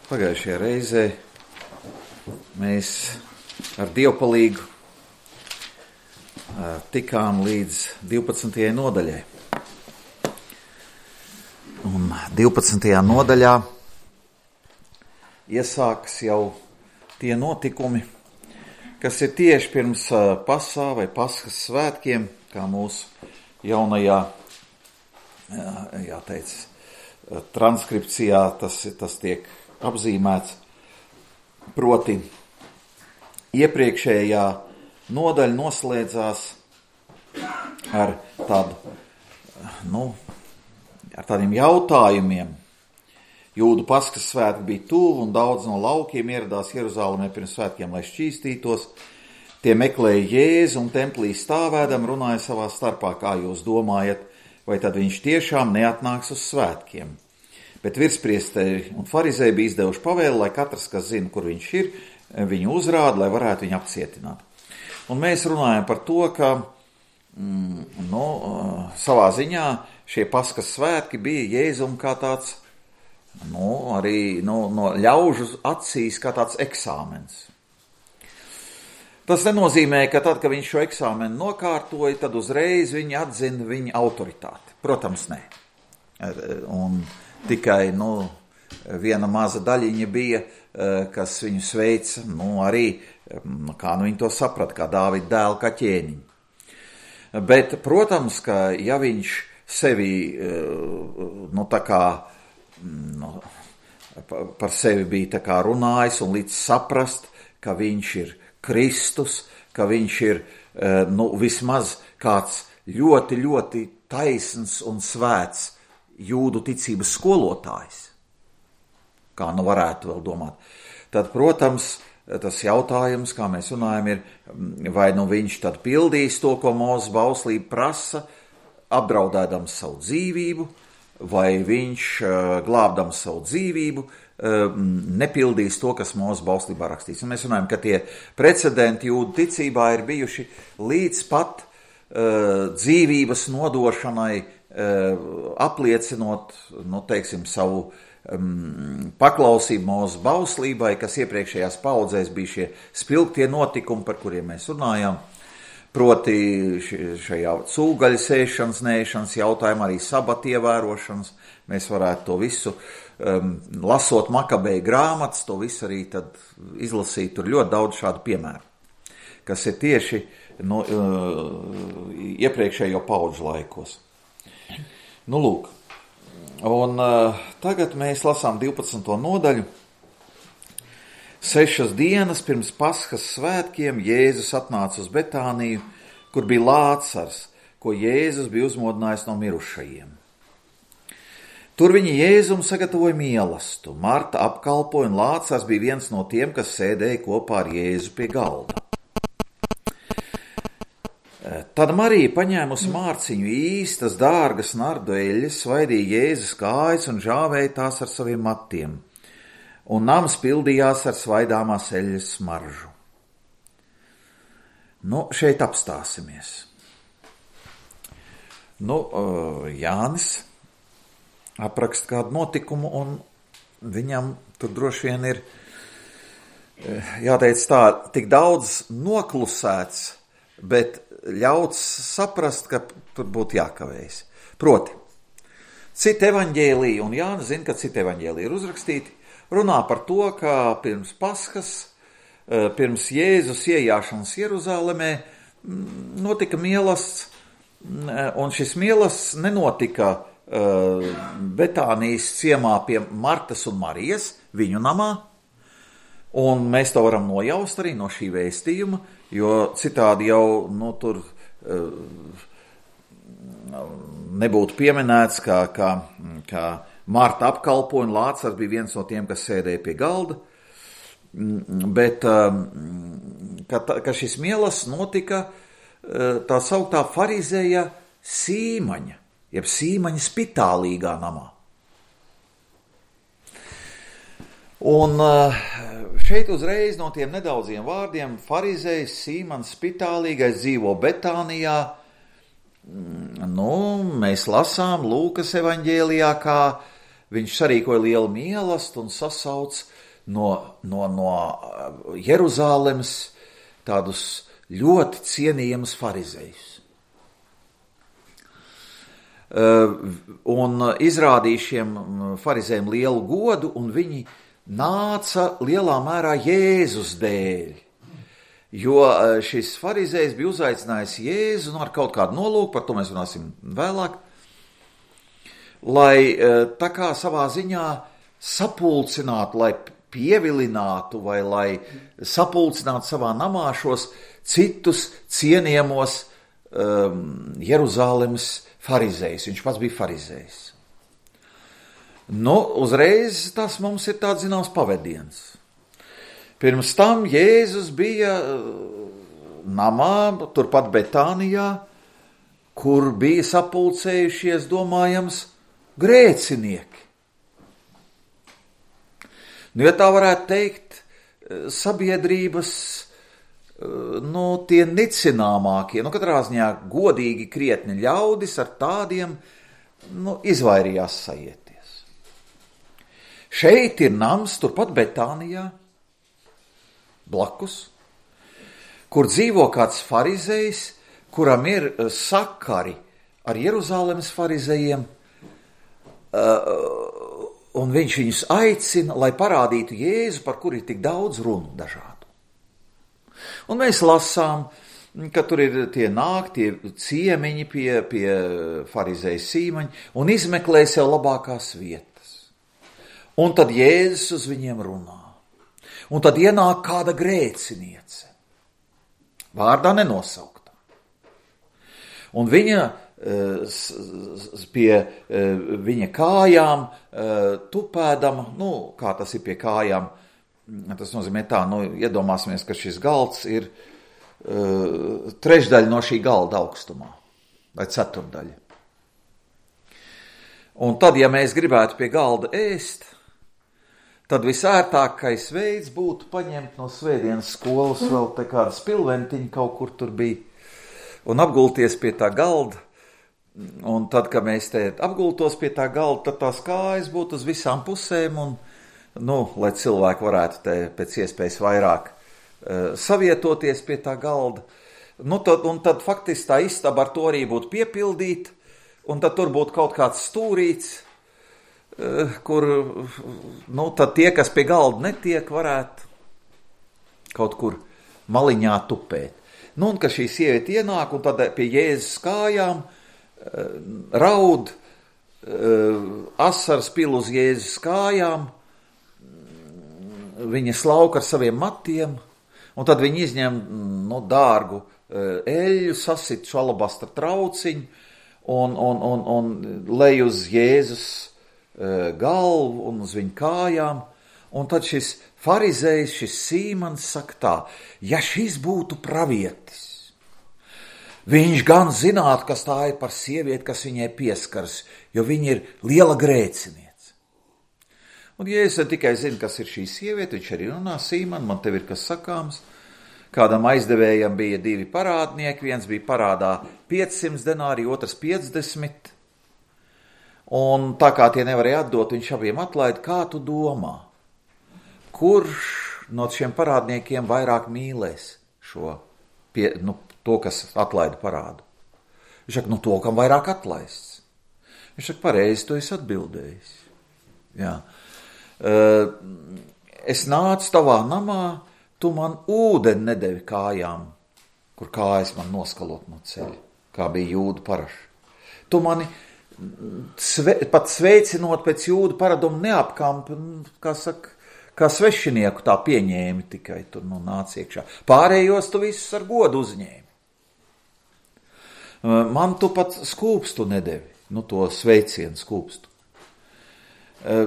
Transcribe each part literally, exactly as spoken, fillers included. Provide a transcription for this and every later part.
Pagājušajā reizē mēs ar dievpalīgu tikām līdz divpadsmitajai nodaļai. Un divpadsmitajā nodaļā iesākas jau tie notikumi, kas ir tieši pirms Pasā vai Paskas svētkiem, kā mūsu jaunajā, jāteic, transkripcijā tas, tas tiek apzīmēts. Proti, iepriekšējā nodaļa noslēdzās ar tādu, nu, ar tādiem jautājumiem. Jūdu Paskas svētki bija tuvu un daudz no laukiem ieradās Jeruzālēmē pirms svētkiem, lai šķīstītos. Tie meklēja Jēzu un templī stāvēdam runāja savā starpā, kā jūs domājat, vai tad viņš tiešām neatnāks uz svētkiem. Bet virspriesteri un farizēji bija izdevuši pavēli, lai katrs, kas zina, kur viņš ir, viņu uzrāda, lai varētu viņu apcietināt. Un mēs runājam par to, ka mm, nu, savā ziņā šie Paskas svētki bija Jēzum kā tāds, nu, arī nu, no ļaužu acīs kā tāds eksāmens. Tas nenozīmē, ka tad, kad viņš šo eksāmenu nokārtoja, tad uzreiz viņi atzina viņa autoritāti. Protams, nē. Un tikai nu, viena maza daļiņa bija, kas viņu sveica, nu arī, kā nu viņi to saprata, kā Dāvida dēlu, kā ķēniņu. Bet, protams, ka ja viņš sevi, nu tā kā, nu, par sevi bija tā kā runājis un līdz saprast, ka viņš ir Kristus, ka viņš ir, nu, vismaz kāds ļoti, ļoti taisns un svēts jūdu ticības skolotājs, kā nu varētu vēl domāt, tad, protams, tas jautājums, kā mēs runājam, ir, vai nu viņš tad pildīs to, ko Mūzes bauslība prasa, apdraudēdams savu dzīvību, vai viņš, glābdams savu dzīvību, nepildīs to, kas Mūzes bauslībā rakstīts. Un mēs runājam, ka tie precedenti jūdu ticībā ir bijuši līdz pat uh, dzīvības nodošanai, apliecinot, nu, teiksim, savu um, paklausību Mūzes bauslībai, kas iepriekšējās paudzēs bija šie spilgtie notikumi, par kuriem mēs runājām, proti šajā cūgaļas ēšanas, neēšanas jautājumā, arī sabata ievērošanas. Mēs varētu to visu, um, lasot Makabeju grāmatas, to visu arī tad izlasīt, tur ļoti daudz šādu piemēru, kas ir tieši no, uh, iepriekšējo paudžu laikos. Nu, lūk, un uh, tagad mēs lasām divpadsmito nodaļu. Sešas dienas pirms Paskas svētkiem Jēzus atnāca uz Betāniju, kur bija Lācars, ko Jēzus bija uzmodinājis no mirušajiem. Tur viņi Jēzum sagatavoja mielastu, Marta apkalpoja, un Lācars bija viens no tiem, kas sēdēja kopā ar Jēzu pie galda. Tad Marija, paņēmusi mārciņu īstas, dārgas nardu eļļas, svaidīja Jēzus kājas un žāvēja tās ar saviem matiem, un nams pildījās ar svaidāmās eļļas smaržu. Nu, šeit apstāsimies. Nu, Jānis apraksta kādu notikumu, un viņam tur droši vien ir, jāteic tā, tik daudz noklusēts, bet ļauts saprast, ka tur būtu jākavējas. Proti, citi evaņģēliji, un Jānis zina, ka citi evaņģēliji ir uzrakstīti, runā par to, ka pirms Paskas, pirms Jēzus iejāšanas Jeruzālēmē notika mielasts, un šis mielasts nenotika Betānijas ciemā pie Martas un Marijas, viņu namā, un mēs to varam nojaust arī no šī vēstījuma, jo citādi jau nu, tur uh, nebūtu pieminēts, ka, ka, ka Marta apkalpoja un Lācars bija viens no tiem, kas sēdēja pie galda, bet uh, ka, ka šis mielasts notika uh, tā sauktā farizēja Sīmaņa, jeb Sīmaņa spitālīgā namā. Un šeit uzreiz no tiem nedaudziem vārdiem farizējs Sīmans spitālīgais dzīvo Betānijā. Nu, mēs lasām Lūkas evaņģēlijā, kā viņš sarīkoja lielu mīlestību un sasauc no, no, no Jeruzālemes tādus ļoti cienījamus farizējus. Un izrādīja šiem farizējiem lielu godu, un viņi nāca lielā mērā Jēzus dēļ. Jo šis farizējs bija uzaicinājis Jēzu ar kaut kādu nolūku, par to mēs runāsim vēlāk, lai tā kā savā ziņā sapulcinātu, lai pievilinātu vai lai sapulcinātu savā namā šos citus cienījamos um, Jeruzālemes farizējus. Viņš pats bija farizējs. Nu, uzreiz tas mums ir tāds zināms pavediens. Pirms tam Jēzus bija namā, turpat Betānijā, kur bija sapulcējušies, domājams, grēcinieki. Nu, ja tā varētu teikt, sabiedrības, nu, tie nicināmākie, nu, katrā ziņā godīgi krietni ļaudis ar tādiem, nu, izvairījās sajieties. Šeit ir nams, turpat Betānijā, blakus, kur dzīvo kāds farizejs, kuram ir sakari ar Jeruzālemes farizejiem, un viņš viņus aicina, lai parādītu Jēzu, par kuru ir tik daudz runu dažādu. Un mēs lasām, ka tur ir tie nāk, tie ciemiņi pie, pie farizeja Sīmaņa un izmeklē sev labākās vietas. Un tad Jēzus uz viņiem runā. Un tad ienāk kāda grēciniece, vārdā nenosauktā. Un viņa pie viņa kājām tupēdama, nu, kā tas ir pie kājām, tas nozīmē tā, nu, iedomāsimies, ka šis galds ir trešdaļa no šī galda augstumā, vai ceturdaļa. Un tad, ja mēs gribētu pie galda ēst, tad visērtākais veids būtu paņemt no svētdienas skolas vēl te kādu spilventiņu, kaut kur tur bija, un apgulties pie tā galda. Un tad, kad mēs te apgultos pie tā galda, tad tās kājas būtu uz visām pusēm, un, nu, lai cilvēki varētu te pēc iespējas vairāk uh, savietoties pie tā galda. Nu, tad, un tad faktiski tā istaba ar to arī būtu piepildīta, un tad tur būtu kaut kāds stūrīts, kur, nu, tad tie, kas pie galda netiek, varētu kaut kur maliņā tupēt. Nu, un ka šī sieviete ienāk, un tad pie Jēzus kājām raud, asars pil uz Jēzus kājām, viņa slauka ar saviem matiem, un tad viņa izņem, nu, dārgu eļļu, sasit šo alabastra trauciņu, un, un, un, un lej uz Jēzus galvu un uz viņu kājām, un tad šis farizējs, šis Sīmans saka tā, ja šis būtu pravietis, viņš gan zinātu, kas tā ir par sievieti, kas viņai pieskaras, jo viņa ir liela grēciniece. Un ja es tikai zinu, kas ir šī sieviete, viņš arī runā, Sīman, man tev ir kas sakāms, kādam aizdevējam bija divi parādnieki, viens bija parādā piecsimt denāri, otrs piecdesmit, un tā kā tie nevarēja atdot, viņš abiem atlaida, kā tu domā, kurš no šiem parādniekiem vairāk mīlēs šo, pie, nu, to, kas atlaida parādu? Viņš saka, nu, to, kam vairāk atlaists. Viņš saka, pareizi, to es atbildējis. Jā. Es nācu tavā namā, tu man ūdeni nedevi kājām, kur kājas man noskalot no ceļa, kā bija jūdu paraši. Tu mani Sve, pat sveicinot pēc jūdu paradumu neapkampi, kā saka, kā svešinieku tā pieņēmi, tikai tur, nu, nāc iekšā. Pārējos tu visus ar godu uzņēmi. Man tu pat skūpstu nedevi, nu, to sveicienu skūpstu.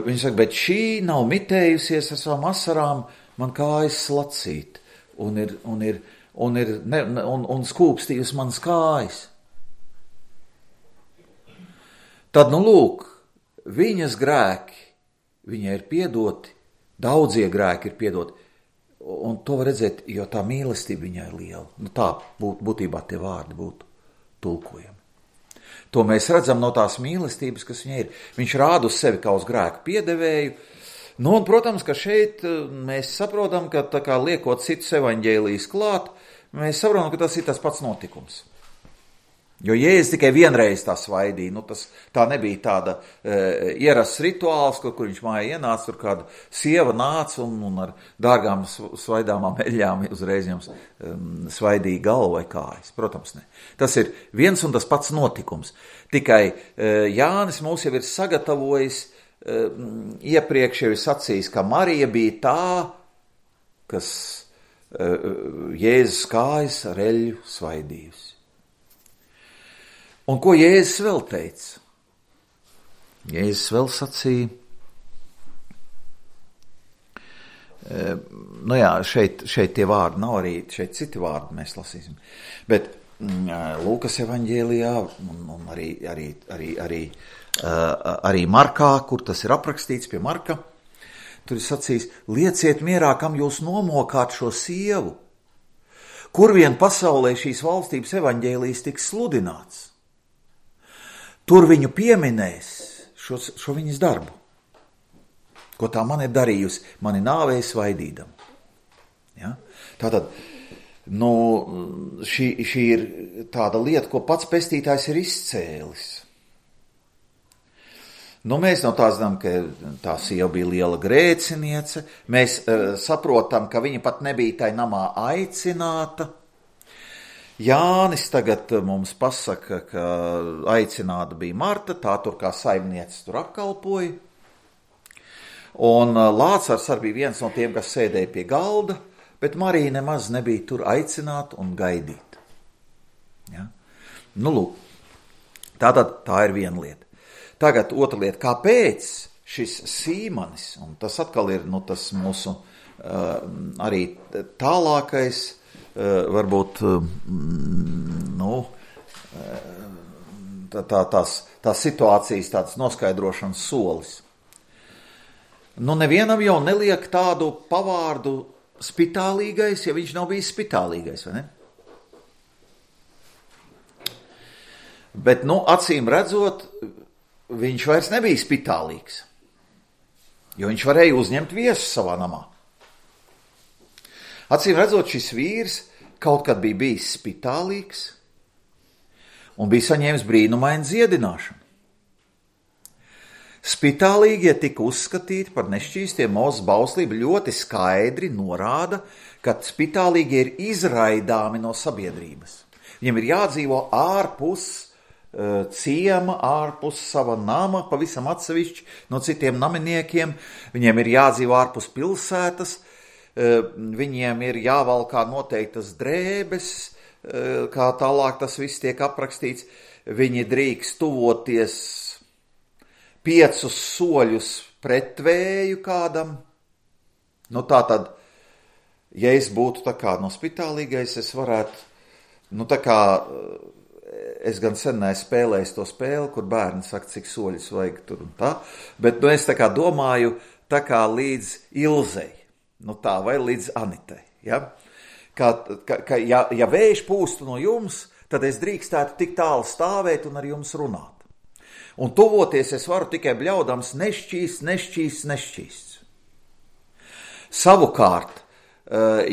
Viņš saka, bet šī nav mitējusies ar savām asarām, man kājas slacīt, un ir, un ir, un ir, ne, un, un skūpstījusi manas kājas. Tad, nu, lūk, viņas grēki, viņai ir piedoti, daudzie grēki ir piedoti, un to var redzēt, jo tā mīlestība viņai ir liela. Nu, tā būt, būtībā tie vārdi būtu tulkojami. To mēs redzam no tās mīlestības, kas viņai ir. Viņš rāda uz sevi kā uz grēku piedevēju. Nu, un, protams, ka šeit mēs saprotam, ka tā kā liekot citus evaņģēlijus klāt, mēs saprotam, ka tas ir tas pats notikums. Jo Jēzus tikai vienreiz tā svaidīja, nu tas tā nebija tāda e, ierasts rituāls, kur, kur viņš mājā ienāca, tur kāda sieva nāca un, un ar dārgām svaidāmām eļļām uzreiz jums um, svaidīja galvu vai kājas. Protams, ne. Tas ir viens un tas pats notikums. Tikai e, Jānis mūs jau ir sagatavojis, e, iepriekš jau ir sacījis, ka Marija bija tā, kas e, Jēzus kājas ar eļļu svaidījusi. Un ko Jēzus vēl teica? Jēzus vēl sacīja, e, nu jā, šeit, šeit tie vārdi nav arī, šeit citi vārdi mēs lasīsim, bet mm, Lūkas evaņģēlijā un, un arī, arī, arī, arī, uh, arī Markā, kur tas ir aprakstīts pie Marka, tur ir sacījis, lieciet mierā, kam jūs nomokāt šo sievu, kur vien pasaulē šīs valstības evaņģēlijs tiks sludināts. Tur viņu pieminēs šo, šo viņas darbu, ko tā man ir darījusi, mani nāvēja svaidīdam. Ja? Tātad, nu, šī, šī ir tāda lieta, ko pats pestītājs ir izcēlis. Nu, mēs no tā zinām, ka tā sieva bija liela grēciniece, mēs uh, saprotam, ka viņa pat nebija tai namā aicināta. Jānis tagad mums pasaka, ka aicināta bija Marta, tā tur kā saimniece tur apkalpoja. Un Lācars arī bija viens no tiem, kas sēdēja pie galda, bet Marija nemaz nebija tur aicināta un gaidīta. Ja? Nu, lūk, tātad tā ir viena lieta. Tagad otra lieta, kāpēc šis Sīmanis, un tas atkal ir nu, tas mūsu uh, arī tālākais, Uh, varbūt uh, nu, uh, tā, tā, tās, tās situācijas tādas noskaidrošanas solis. Nu, nevienam jau neliek tādu pavārdu spitālīgais, ja viņš nav bijis spitālīgais, vai ne? Bet, nu, acīm redzot, viņš vairs nebija spitālīgs, jo viņš varēja uzņemt viesu savā namā. Acīm redzot, šis vīrs kaut kad bija bijis spitālīgs un bija saņēmis brīnumainu dziedināšanu. Spitālīgie tika uzskatīti par nešķīstiem. Mūzes bauslība ļoti skaidri norāda, ka spitālīgie ir izraidāmi no sabiedrības. Viņiem ir jādzīvo ārpus uh, ciema, ārpus sava nama, pavisam atsevišķi no citiem naminiekiem. Viņiem ir jādzīvo ārpus pilsētas. Viņiem ir jāvalkā noteiktas drēbes, kā tālāk tas viss tiek aprakstīts. Viņi drīkst tuvoties piecus soļus pretvēju kādam. Nu tā tad, ja es būtu tā kā no spitālīgais, es varētu, nu tā kā, es gan sen neesmu spēlējis to spēli, kur bērni saka, cik soļus vajag tur un tā, bet nu es tā kā domāju, tā kā līdz Ilzei. Nu tā, vai līdz Anitai, ja? Ka, ka, ka ja, ja vējš pūstu no jums, tad es drīkstētu tik tālu stāvēt un ar jums runāt. Un tuvoties es varu tikai bļaudams nešķīsts, nešķīsts, nešķīsts. Savukārt,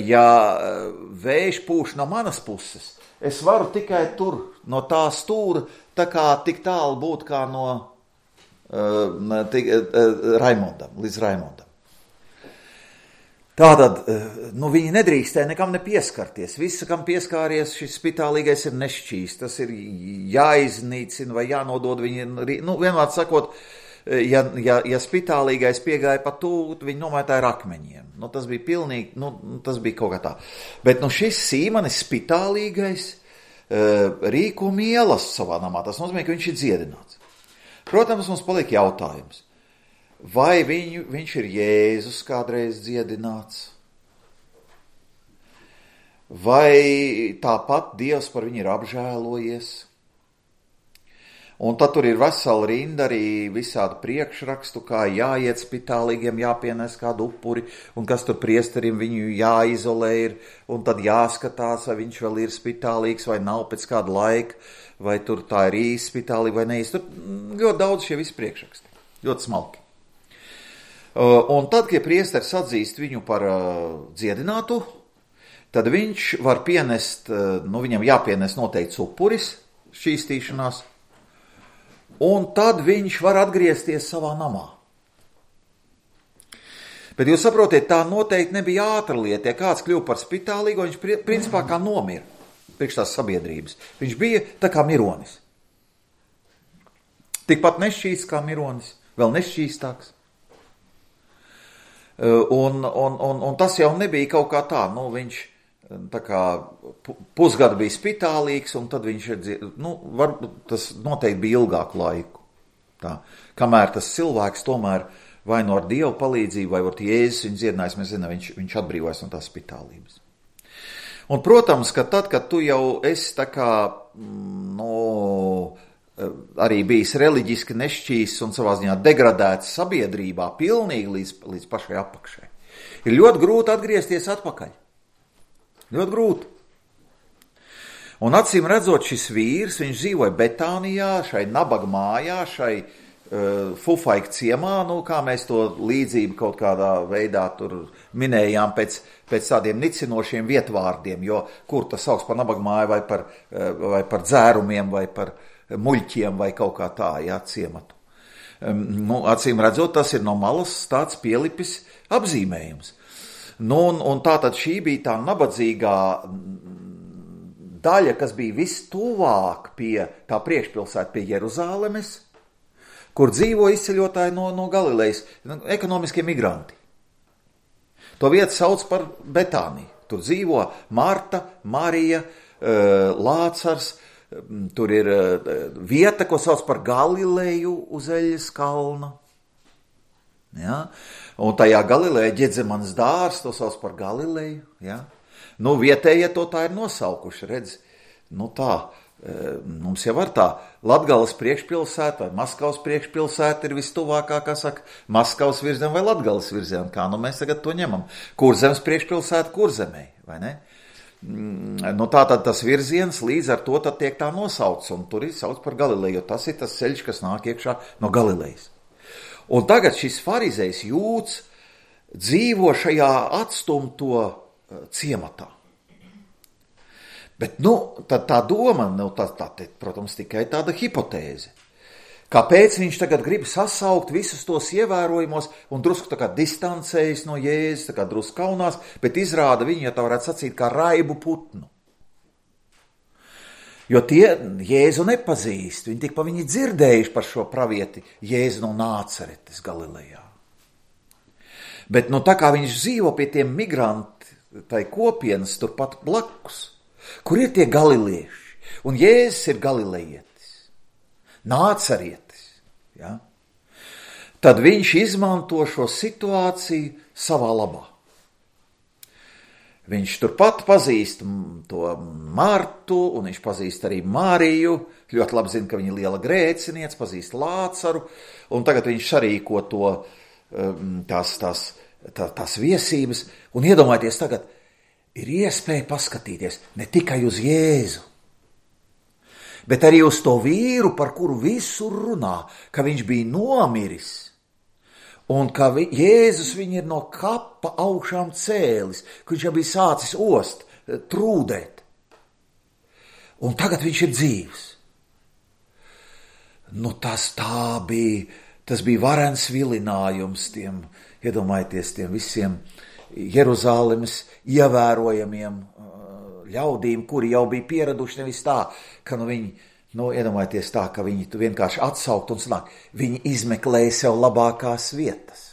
ja vējš pūš no manas puses, es varu tikai tur no tā stūra, tā kā tik tālu būt kā no uh, tik, uh, Raimondam, līdz Raimondam. Tātad, nu, viņi nedrīkstēja nekam nepieskarties. Visa, kam pieskāries, šis spitālīgais ir nešķīsts. Tas ir jāiznīcina vai jānodod viņi. Nu, vienmēr sakot, ja, ja, ja spitālīgais piegāja pa tūt, viņi nomētāja ar akmeņiem. Nu, tas bija pilnīgi, nu, tas bija kaut kā tā. Bet, nu, šis Sīmanis spitālīgais rīko mielas savā namā. Tas nozīmē, ka viņš ir dziedināts. Protams, mums paliek jautājums. Vai viņu, viņš ir Jēzus kādreiz dziedināts? Vai tāpat Dievs par viņu ir apžēlojies? Un tad tur ir vesela rinda arī visādu priekšrakstu, kā jāiet spitālīgiem, jāpienes kādu upuri, un kas tur priesterim viņu jāizolē ir, un tad jāskatās, vai viņš vēl ir spitālīgs, vai nav pēc kāda laika, vai tur tā ir īsti spitālīga, vai neīsti. Tur ļoti daudz šie visi priekšraksti, ļoti smalki. Un tad, kad priesteris atzīst viņu par dziedinātu, tad viņš var pienest, nu viņam jāpienes noteikts upuris šķīstīšanās, un tad viņš var atgriezties savā namā. Bet jūs saprotiet, tā noteikti nebija ātra lieta. Ja kāds kļuva par spitālīgu, viņš principā kā nomira priekš tās sabiedrības. Viņš bija tā kā mironis. Tikpat nešķīsts kā mironis, vēl nešķīstāks. Un, un, un, un tas jau nebija kaut kā tā, nu viņš tā kā pusgadu bija spitālīgs, un tad viņš, nu, var, tas noteikti bija ilgāku laiku. Tā. Kamēr tas cilvēks tomēr vai no ar Dievu palīdzību, vai ar Jēzus viņu dziedinājis, mēs zinām, viņš, viņš atbrīvojas no tās spitālības. Un, protams, ka tad, kad tu jau esi tā kā, nu, arī bijis reliģiski nešķīsts un savā ziņā degradēts sabiedrībā pilnīgi līdz, līdz pašai apakšai, ir ļoti grūti atgriezties atpakaļ. Ļoti grūti. Un acīm redzot, šis vīrs, viņš dzīvoja Betānijā, šai nabaga mājā, šai uh, fufaika ciemā, nu, kā mēs to līdzību kaut kādā veidā tur minējām pēc, pēc tādiem nicinošiem vietvārdiem, jo kur tas sauc par nabaga māju vai par, uh, vai par dzērumiem vai par muļķiem vai kaut kā tā, jā, ciematu. Um, nu, acīm redzot, tas ir no malas tāds pielipis apzīmējums. Nu, un, un tā tad šī bija tā nabadzīgā daļa, kas bija vistuvāk pie tā priekšpilsēta pie Jeruzālemes, kur dzīvo izceļotāji no, no Galilejas, ekonomiskie migranti. To vietu sauc par Betāniju. Tur dzīvo Marta, Marija, Lācars, tur ir vieta, ko sauc par Galileju uz Eļas kalna. Ja? Un tajā Galilejā Ģedzemanas dārs, to sauc par Galileju. Ja? Nu, vietējie to tā ir nosaukuši, redz, nu tā, mums jau var tā, Latgales priekšpilsēta vai Maskavas priekšpilsēta ir vistuvākā, kā saka, Maskavas virzien vai Latgales virzien, kā nu mēs tagad to ņemam. Kurzemes priekšpilsēta Kurzemē, vai ne? Nu, tā tad tas virziens līdz ar to tad tiek tā nosauts, un tur ir sauc par Galileju, jo tas ir tas ceļš, kas nāk iekšā no Galilejas. Un tagad šis farizejs Jūds dzīvo šajā atstumto ciematā. Bet, nu, tad tā doma, nu, tā, tā, tā, protams, tikai tāda hipotēze. Kāpēc viņš tagad grib sasaukt visus tos ievērojumos un drusku tā kā distancējas no Jēzus, tā kā drusku kaunās, bet izrāda viņu, ja tā varētu sacīt, kā raibu putnu. Jo tie Jēzu nepazīst, viņi tik pa viņi dzirdējuši par šo pravieti Jēzu no Nāceretes Galilejā. Bet nu tā kā viņš dzīvo pie tiem migranti, tai kopienas turpat blakus, kur ir tie galilieši, un Jēzus ir galilejietis, Nācerietis, ja? Tad viņš izmanto šo situāciju savā labā. Viņš turpat pazīst to Martu, un viņš pazīst arī Mariju, ļoti labi zina, ka viņa ir liela grēciniece, pazīst Lācaru, un tagad viņš sarīko to, tās, tās, tā, tās viesības, un iedomājieties tagad, ir iespēja paskatīties ne tikai uz Jēzu, bet arī uz to vīru, par kuru visur runā, ka viņš bija nomiris, un ka vi, Jēzus viņu ir no kapa augšām cēlis, ka viņš jau bija sācis ost, trūdēt. Un tagad viņš ir dzīvs. Nu tas tā bija, tas bija varens vilinājums tiem, iedomājieties, tiem visiem Jeruzālemes ievērojamiem ļaudīm, kuri jau bija pieraduši nevis tā, ka nu viņi, nu, iedomājieties tā, ka viņi tu vienkārši atsaukt un sanāk, viņi izmeklēja sev labākās vietas.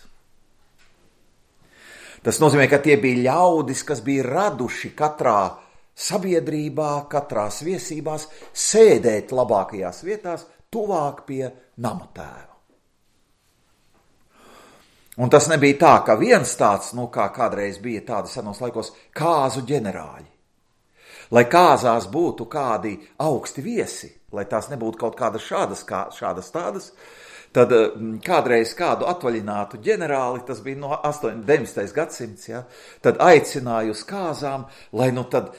Tas nozīmē, ka tie bija ļaudis, kas bija raduši katrā sabiedrībā, katrās viesībās, sēdēt labākajās vietās, tuvāk pie nama tēva. Un tas nebija tā, ka viens tāds, nu kā kādreiz bija tādi senos laikos, kāzu ģenerāļi. lai kāzās būtu kādi augsti viesi, lai tās nebūtu kaut kādas šādas, kā, šādas tādas, tad kādreiz kādu atvaļinātu ģenerāli, tas bija no deviņdesmitais gadsimts, ja, tad aicināju uz kāzām, lai nu tad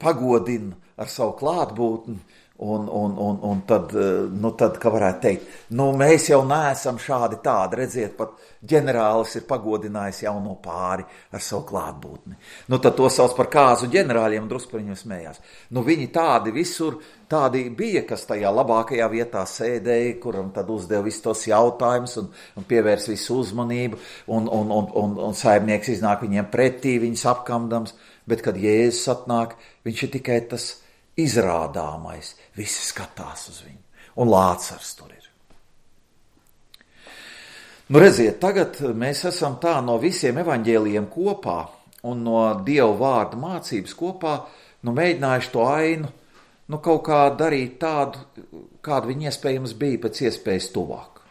pagodina ar savu klātbūtni, Un, un, un, un tad, nu tad, kā varētu teikt, nu mēs jau neesam šādi tādi, redziet, pat ģenerālis ir pagodinājis jauno pāri ar savu klātbūtni. Nu tad to sauc par kāzu ģenerāļiem, drusku par viņiem smējās. Nu viņi tādi visur, tādi bija, kas tajā labākajā vietā sēdēja, kuram tad uzdeva visus tos jautājumus un, un pievērs visu uzmanību, un, un, un, un, un saimnieks iznāk viņiem pretī, viņus apkamdams, bet kad Jēzus atnāk, viņš ir tikai tas izrādāmais, visi skatās uz viņu, un Lācars tur ir. Nu redziet, tagad mēs esam tā no visiem evaņģēlijiem kopā un no Dieva vārda mācības kopā, nu mēģinājuši to ainu, nu kaut kā darīt tādu, kādu viņi iespējams bija pēc iespējas tuvāk.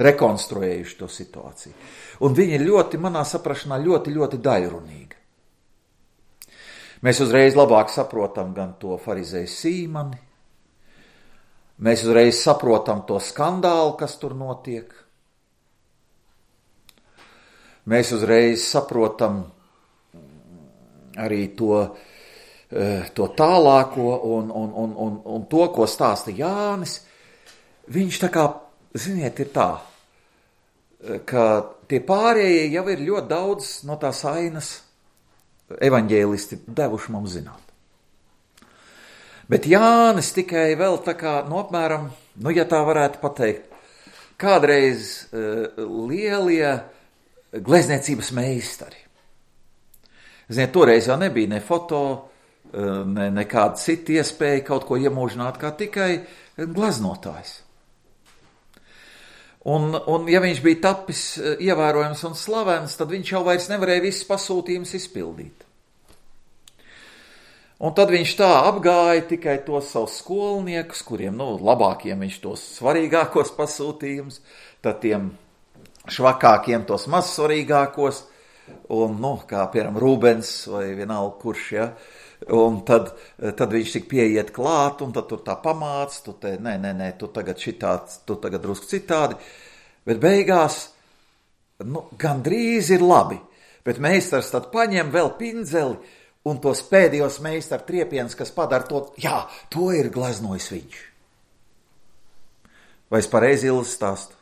Rekonstruējuši to situāciju. Un viņi ir ļoti, manā saprašanā, ļoti, ļoti daļrunīgi. Mēs uzreiz labāk saprotam gan to farizēju Sīmani, mēs uzreiz saprotam to skandālu, kas tur notiek. Mēs uzreiz saprotam arī to, to tālāko un, un, un, un, un to, ko stāsta Jānis. Viņš tā kā, ziniet, ir tā, ka tie pārējie jau ir ļoti daudz no tās ainas evaņģēlisti devuši mums zināt. Bet Jānis tikai vēl tā kā, nu apmēram, nu ja tā varētu pateikt, kādreiz uh, lielie glezniecības meistari. Ziniet, toreiz jau nebija ne foto, uh, ne nekāda cita iespēja kaut ko iemūžināt, kā tikai gleznotājs. Un, un ja viņš bija tapis ievērojams un slavens, tad viņš jau vairs nevarēja visus pasūtījumus izpildīt. Un tad viņš tā apgāja tikai tos savus skolniekus, kuriem, nu, labākiem viņš tos svarīgākos pasūtījumus, tad tiem švakākiem tos mazsvarīgākos, un, nu, kā piemēram Rūbens vai vienalga kurš, ja, un tad, tad viņš tik pieiet klāt, un tad tur tā pamāc, tu te, nē, nē, nē, tu tagad šitāds, tu tagad drusku citādi, bet beigās, nu, gandrīz ir labi, bet meistars tad paņem vēl pindzeli, un tos pēdējos meistaru triepienus, kas padara to, jā, to ir gleznojis viņš. Vai es pareizi Ilzi stāstu?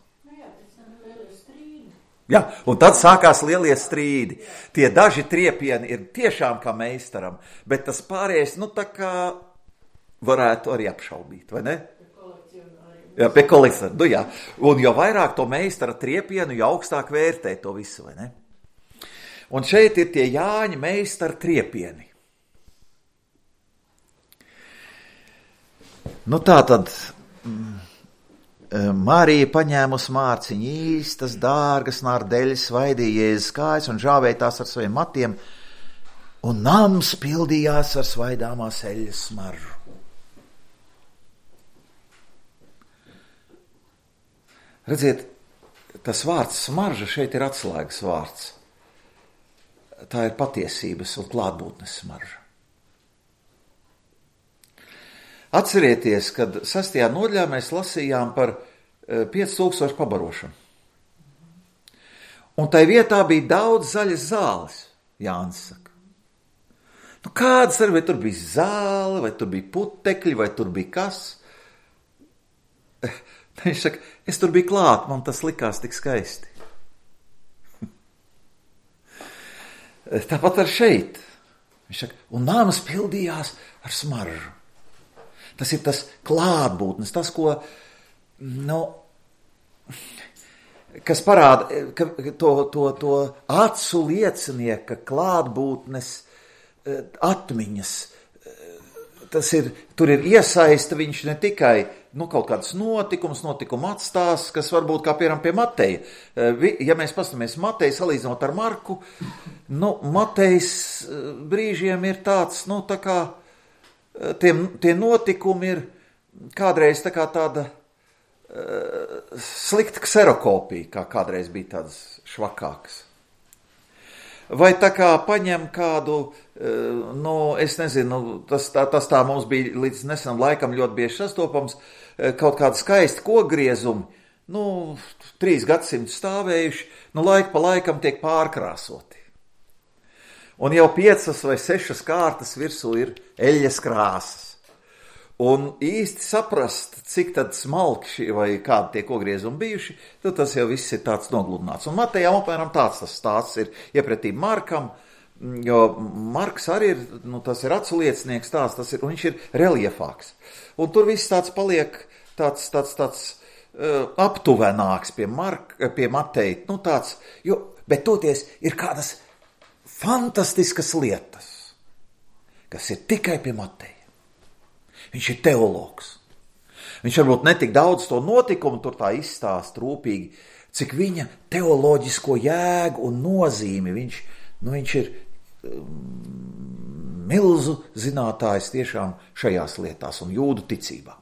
Jā, un tad sākās lielie strīdi. Tie daži triepieni ir tiešām kā meistaram, bet tas pārējais, nu tā kā varētu arī apšaubīt, vai ne? Jā, pie kolekcionāri, nu jā. Un jo vairāk to meistara triepienu, jo augstāk vērtē to visu, vai ne? Un šeit ir tie Jāņa meistara triepieni. Nu tā tad... Mm, Marija paņēmus mārciņu īstas, dārgas nārdeļas, svaidīja Jēzus kājas un žāvēja tās ar saviem matiem, un nams pildījās ar svaidāmās eļļas smaržu. Redziet, tas vārds smarža šeit ir atslēgas vārds. Tā ir patiesības un klātbūtnes smarža. Atcerieties, kad sastajā nodaļā mēs lasījām par pieci tūkstoši pabarošanu. Un tai vietā bija daudz zaļas zāles, Jānis saka. Nu kādas arī, vai tur bija zāle, vai tur bija putekļi, vai tur bija kas? Viņš saka, es tur biju klāt, man tas likās tik skaisti. Tāpat ar šeit. Viņš saka, un nāmas pildījās ar smaržu. Tas ir tas klātbūtnes, tas, ko, nu, kas parāda, ka to, to, to acu liecinieka klātbūtnes atmiņas, tas ir, tur ir iesaista viņš ne tikai, nu, kaut kāds notikums, notikuma atstās, kas varbūt kā piemēram pie Mateja. Ja mēs pastamies Mateju salīdzinot ar Marku, nu, Matejs brīžiem ir tāds, nu, tā kā, Tie, tie notikumi ir kādreiz tā kā tāda uh, slikta kserokopija, kā kādreiz bija tādas švakākas. vai tā kā paņem kādu, nu, es nezinu, tas tā, tas tā mums bija līdz nesenam laikam ļoti bieži sastopams, kaut kādi skaisti kokgriezumi, nu, trīs gadsimtus stāvējuši, nu, laika pa laikam tiek pārkrāsoti. Un jau piecas vai sešas kārtas virsū ir eļļas krāsas. Un īsti saprast, cik tad smalki šī vai kādi tie kokgriezumi bijuši, tad tas jau viss ir tāds nogludināts. Un Matejam apmēram tāds tas stāsts ir iepratī Markam, jo Marks arī ir, nu, tas ir aculiecinieks tāds, tas ir, un viņš ir reliefāks. Un tur viss tāds paliek tāds, tāds, tāds uh, aptuvenāks pie, Mark, pie Mateja, nu tāds, jo, bet toties ir kādas fantastiskas lietas, kas ir tikai pie Mateja. Viņš ir teologs. Viņš varbūt netik daudz to notikumu tur tā izstāst rūpīgi, cik viņa teoloģisko jēgu un nozīmi. Viņš, nu, viņš ir um, milzu zinātājs tiešām šajās lietās un jūdu ticībā.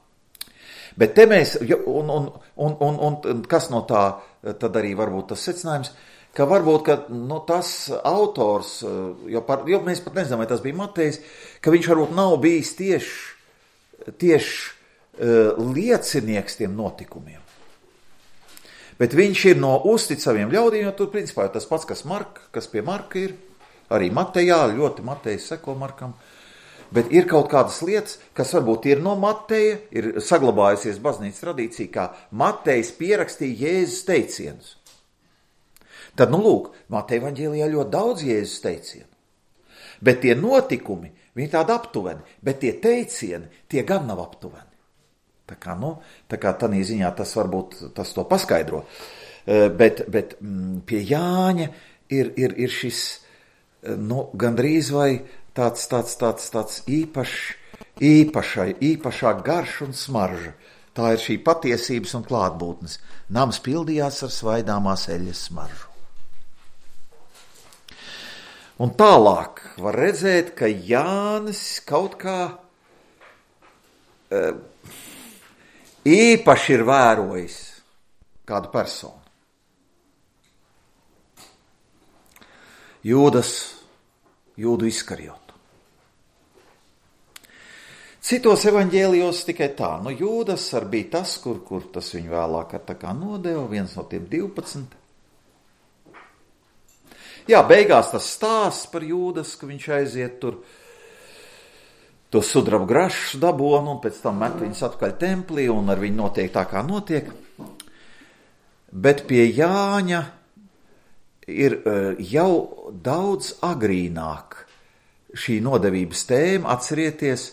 Bet te mēs, un, un, un, un, un kas no tā, tad arī varbūt tas secinājums, ka varbūt, ka nu, tas autors, jo, par, jo mēs pat nezinām, vai tas bija Matejs, ka viņš varbūt nav bijis tieši tieši uh, liecinieks tiem notikumiem. Bet viņš ir no uzticamiem ļaudīm, jo tur principā tas pats, kas Marka, kas pie Marka ir, arī Matejā, ļoti Matejs seko Markam, bet ir kaut kādas lietas, kas varbūt ir no Mateja, ir saglabājusies baznīcas tradīcija, kā Matejs pierakstīja Jēzus teicienus. Tad, nu lūk, Mateja evaņģēlijā ļoti daudz Jēzus teicienu, bet tie notikumi, viņi tādi aptuveni, bet tie teicieni, tie gan nav aptuveni. Tā kā, nu, tā kā tādā ziņā tas varbūt tas to paskaidro. Bet, bet pie Jāņa ir, ir, ir šis, nu, gandrīz vai tāds, tāds, tāds, tāds īpašs, īpašai, īpašā garša un smarža. Tā ir šī patiesības un klātbūtnes. Nams pildījās ar svaidāmās eļļas smaržu. Un tālāk var redzēt, ka Jānis kaut kā e, īpaši ir vērojis kādu personu. Jūdas, Jūdu Iskariotu. Citos evaņģēlijos tikai tā, nu Jūdas ar bija tas, kur, kur tas viņu vēlāk ar tā kā nodeva, viens no tiem divpadsmit. Jā, beigās tas stāsts par Jūdas, ka viņš aiziet tur to sudraba grašus dabonu un pēc tam met viņus atkaļ templī un ar viņu notiek tā, kā notiek. Bet pie Jāņa ir jau daudz agrīnāk šī nodevības tēma, atcerieties,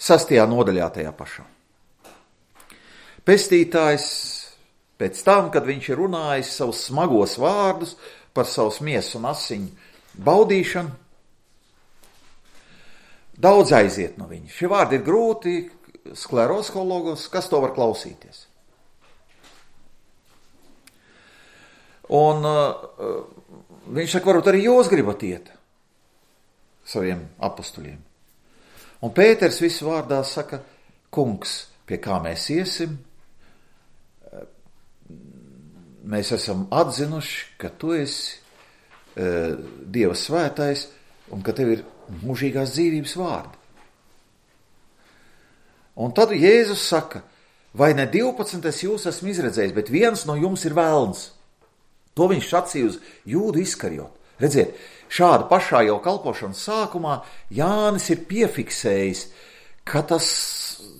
sastajā nodaļā tajā pašā. Pestītājs pēc tam, kad viņš ir runājis savus smagos vārdus, par savus miesu un asiņu baudīšanu, daudz aiziet no viņa. Šie vārdi ir grūti, skleroskologos, kas to var klausīties. Un uh, viņš saka, varbūt arī jūs gribat iet saviem apustuļiem. Un Pēters visu vārdā saka, kungs, pie kā mēs iesim, mēs esam atzinuši, ka tu esi uh, Dieva svētais un ka tev ir mūžīgās dzīvības vārdi. Un tad Jēzus saka, vai ne divpadsmit es jūs esmu izredzējis, bet viens no jums ir velns. To viņš sacīja uz Jūdu Iskariotu. Redziet, šāda pašā jau kalpošanas sākumā Jānis ir piefiksējis, ka tas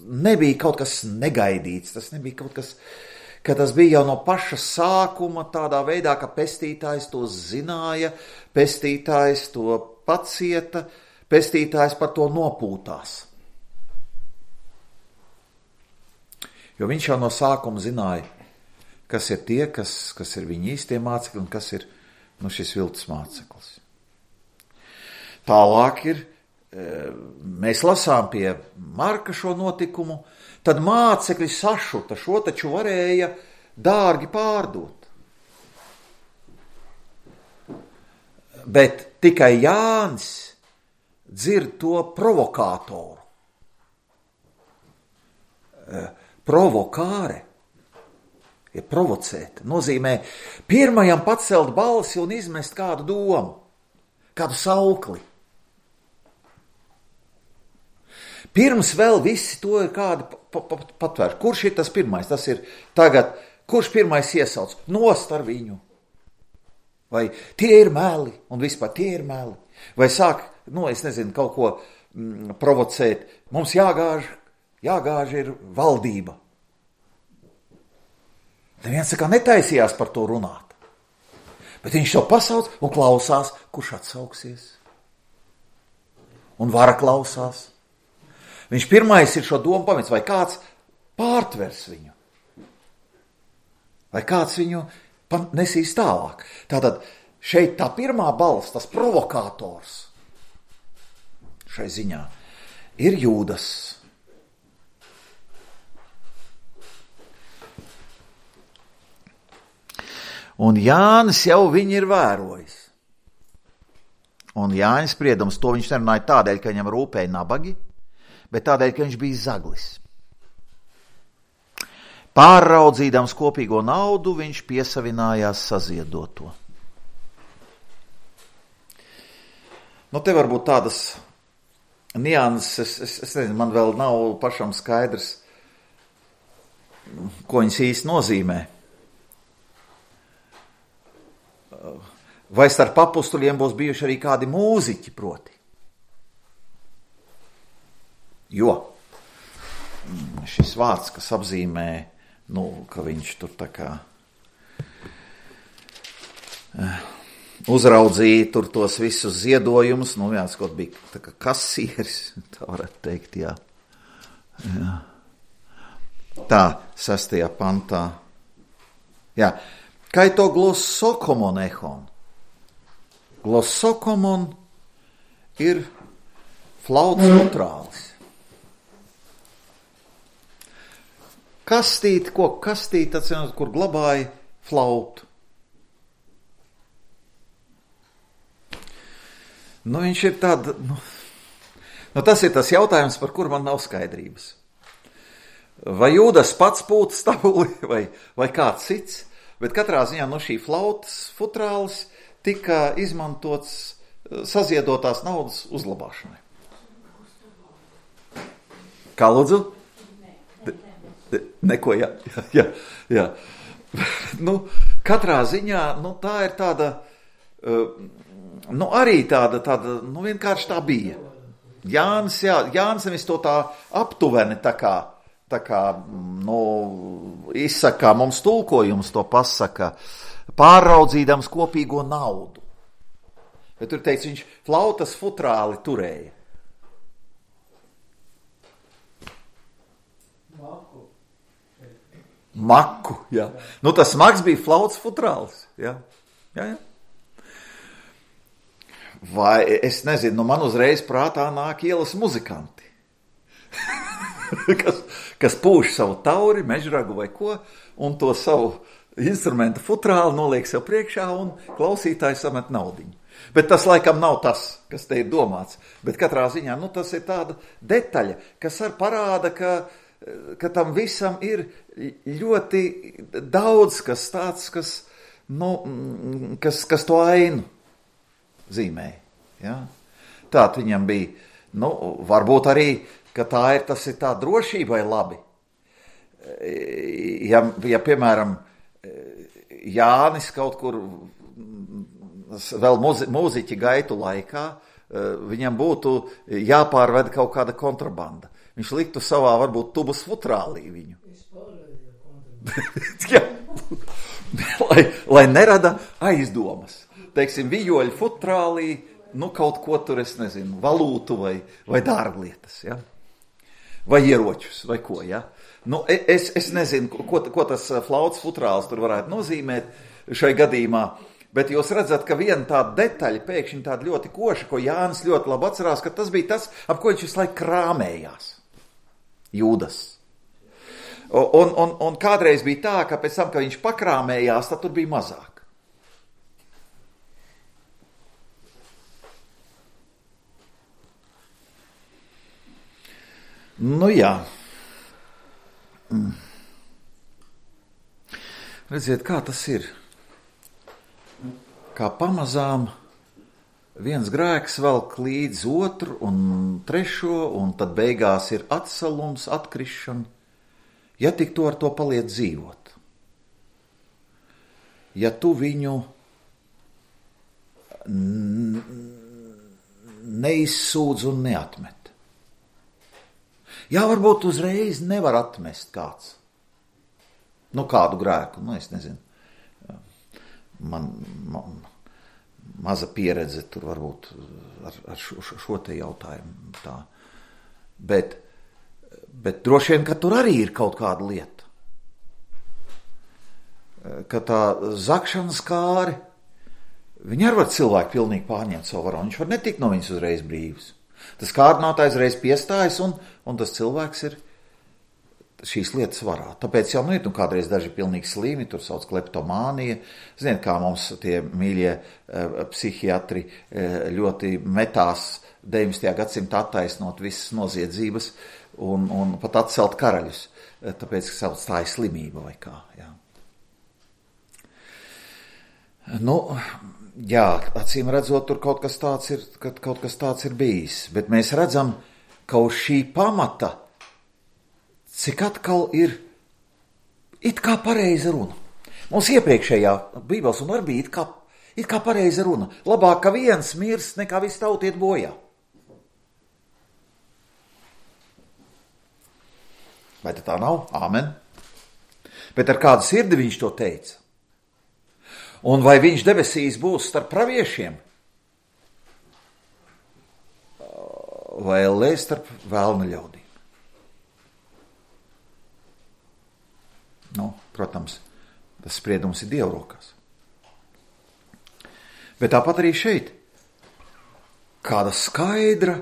nebija kaut kas negaidīts, tas nebija kaut kas, ka tas bija jau no paša sākuma tādā veidā, ka pestītājs to zināja, pestītājs to pacieta, pestītājs par to nopūtās. Jo viņš jau no sākuma zināja, kas ir tie, kas, kas ir viņa īstie mācekļi un kas ir nu, šis viltus māceklis. Tālāk ir, mēs lasām pie Marka šo notikumu, tad mācekļi sašuta, šo taču varēja dārgi pārdot. Bet tikai Jānis dzird to provokātoru. Provokāre ja provocēt, nozīmē pirmajam pacelt balsi un izmest kādu domu, kādu saukli. Pirms vēl visi to ir kādi patvēr. Kurš ir tas pirmais? Tas ir tagad, kurš pirmais iesauc? Nost ar viņu. Vai tie ir meli, un vispār tie ir meli. Vai sāk, nu, es nezinu, kaut ko mm, provocēt. Mums jāgāž, jāgāž ir valdība. Neviens saka, netaisījās par to runāt. Bet viņš to pasauc un klausās, kurš atsauksies. Un vara klausās. Viņš pirmais ir šo domu pamets, vai kāds pārtvers viņu. Vai kāds viņu nesīs tālāk. Tātad šeit tā pirmā balss, tas provokators šai ziņā ir Jūdas. Un Jānis jau viņu ir vērojis. Un Jānis spriedums, to viņš nerunāja tādēļ, ka viņam rūpēja nabagi, bet tādēļ, ka viņš bija zaglis. Pārraudzīdams kopīgo naudu, viņš piesavinājās saziedoto. Nu, te varbūt tādas nianses, es, es, es nezinu, man vēl nav pašam skaidrs, ko viņas īsti nozīmē. Vai starp apustuļiem būs bijuši arī kādi mūziķi proti? Jo šis vārds, kas apzīmē, nu, ka viņš tur tā kā uzraudzīja tur tos visus ziedojumus, nu, viens kaut bija tā kā kasieris, tā varētu teikt, jā. jā. Tā, sestajā pantā. Jā, kaito glossokomon ehon. Glossokomon ir flauts mutrālis. Kastīt, ko kastīt, atcīmot, kur glabāja flautu. Nu, viņš ir tāda, nu, nu, tas ir tas jautājums, par kur man nav skaidrības. Vai Jūdas pats pūta stabuli, vai, vai kāds cits, bet katrā ziņā no šī flautas futrālis tika izmantots saziedotās naudas uzglabāšanai. Kā lūdzu? Neko, jā, jā, jā. Nu, katrā ziņā, nu, tā ir tāda, nu, arī tāda, tāda, nu, vienkārši tā bija. Jānis, jā, Jānis nevis to tā aptuveni tā kā, tā kā, nu, izsaka, mums tulkojums to pasaka, pārraudzīdams kopīgo naudu. Bet tur teica, viņš flautas futrāli turēja. Maku, jā. Nu, tas smags bija flautas futrālis, jā. Jā, jā. Vai, es nezinu, nu man uzreiz prātā nāk ielas muzikanti, kas, kas pūš savu tauri, mežragu vai ko, un to savu instrumentu futrāli noliek sev priekšā un klausītāji samet naudiņu. Bet tas laikam nav tas, kas te ir domāts, bet katrā ziņā, nu, tas ir tāda detaļa, kas ar parāda, ka ka tam visam ir ļoti daudz, kas tāds, kas, nu, kas, kas to ainu zīmē. Ja? Tātad viņam bija, nu, varbūt arī, ka tā ir, tas ir tā drošībai labi. Ja, ja piemēram, Jānis kaut kur vēl muzi, mūziķi gaitu laikā, viņam būtu jāpārved kaut kāda kontrabanda. Viņš liktu savā, varbūt, tubas futrālī viņu. Jā, lai, lai nerada aizdomas. Teiksim, vijoļu futrālī, nu, kaut ko tur, es nezinu, valūtu vai, vai dārglietas, ja? Vai ieročus, vai ko, ja? Nu, es, es nezinu, ko, ko tas flautas futrāls tur varētu nozīmēt šai gadījumā, bet jūs redzat, ka viena tāda detaļa, pēkšņi tāda ļoti koša, ko Jānis ļoti labi atcerās, ka tas bija tas, ap ko viņš visu laiku krāmējās. Jūdas. Un, un, un kādreiz bija tā, ka pēc tam, kad viņš pakrāmējās, tad tur bija mazāk. Nu jā. Redziet, kā tas ir. Kā pamazām viens grēks velk līdz otru un trešo, un tad beigās ir atsalums, atkrišana. Ja tik tu ar to paliec dzīvot. Ja tu viņu neizsūdz un neatmet. Jā, varbūt uzreiz nevar atmest kāds. Nu, kādu grēku, nu, es nezinu. Man, man maza pieredze tur varbūt ar, ar šo, šo te jautājumu tā. Bet, bet droši vien, ka tur arī ir kaut kāda lieta. Ka tā zakšanas kāri, viņi arī var cilvēku pilnīgi pārņemt savu varu. Viņš var netikt no viņas uzreiz brīvs. Tas kārdinātājs reiz piestājas un, un tas cilvēks ir šīs lietas varā. Tāpēc jau nu ir nu, kādreiz daži pilnīgi slimi, tur sauc kleptomānija. Ziniet, kā mums tie mīļie uh, psihiatri uh, ļoti metās deviņdesmitajā gadsimtā attaisnot visas noziedzības un, un pat atcelt karaļus. Uh, tāpēc, ka sauc tā ir slimība vai kā. Jā. Nu, jā, acīm redzot, tur kaut kas tāds ir, kaut kas tāds ir bijis. Bet mēs redzam, ka uz šī pamata cik atkal ir it kā pareiza runa. Mums iepriekšējā Bībeles un arī bija it kā, it kā pareiza runa. Labāk, ka viens mirst, nekā viss tauta iet bojā. Vai tā nav? Āmen. Bet ar kādu sirdi viņš to teica? Un vai viņš debesīs būs starp praviešiem? Vai ellē starp vēlna ļaudīm? Nu, protams, tas spriedums ir Dieva rokās. Bet tāpat arī šeit kāda skaidra,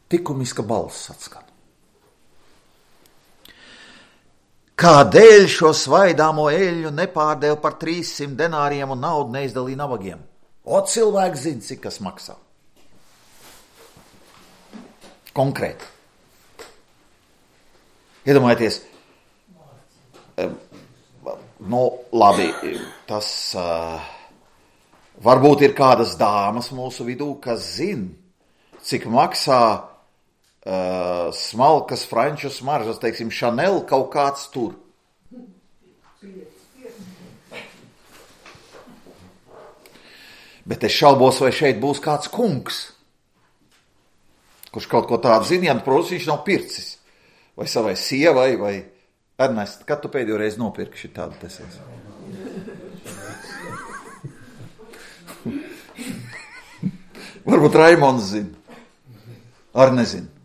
likumiska balss atskan. Kādēļ šo svaidāmo eļļu nepārdēv par trīssimt denāriem un naudu neizdalīja nabagiem? O, cilvēks zina, cik kas maksā. Konkrēti. Iedomājieties, nu, labi, tas uh, varbūt ir kādas dāmas mūsu vidū, kas zina, cik maksā Uh, smalkas franču smaržas, teiksim, Chanel kaut kāds tur. Bet es šaubos, vai šeit būs kāds kungs, kurš kaut ko tādu zina, ja, protams, viņš nav pircis. Vai savai sievai, vai Ernest, kad tu pēdējo reizi nopirki šī tādu tesies? Varbūt Raimonds zina. Ar nezinu.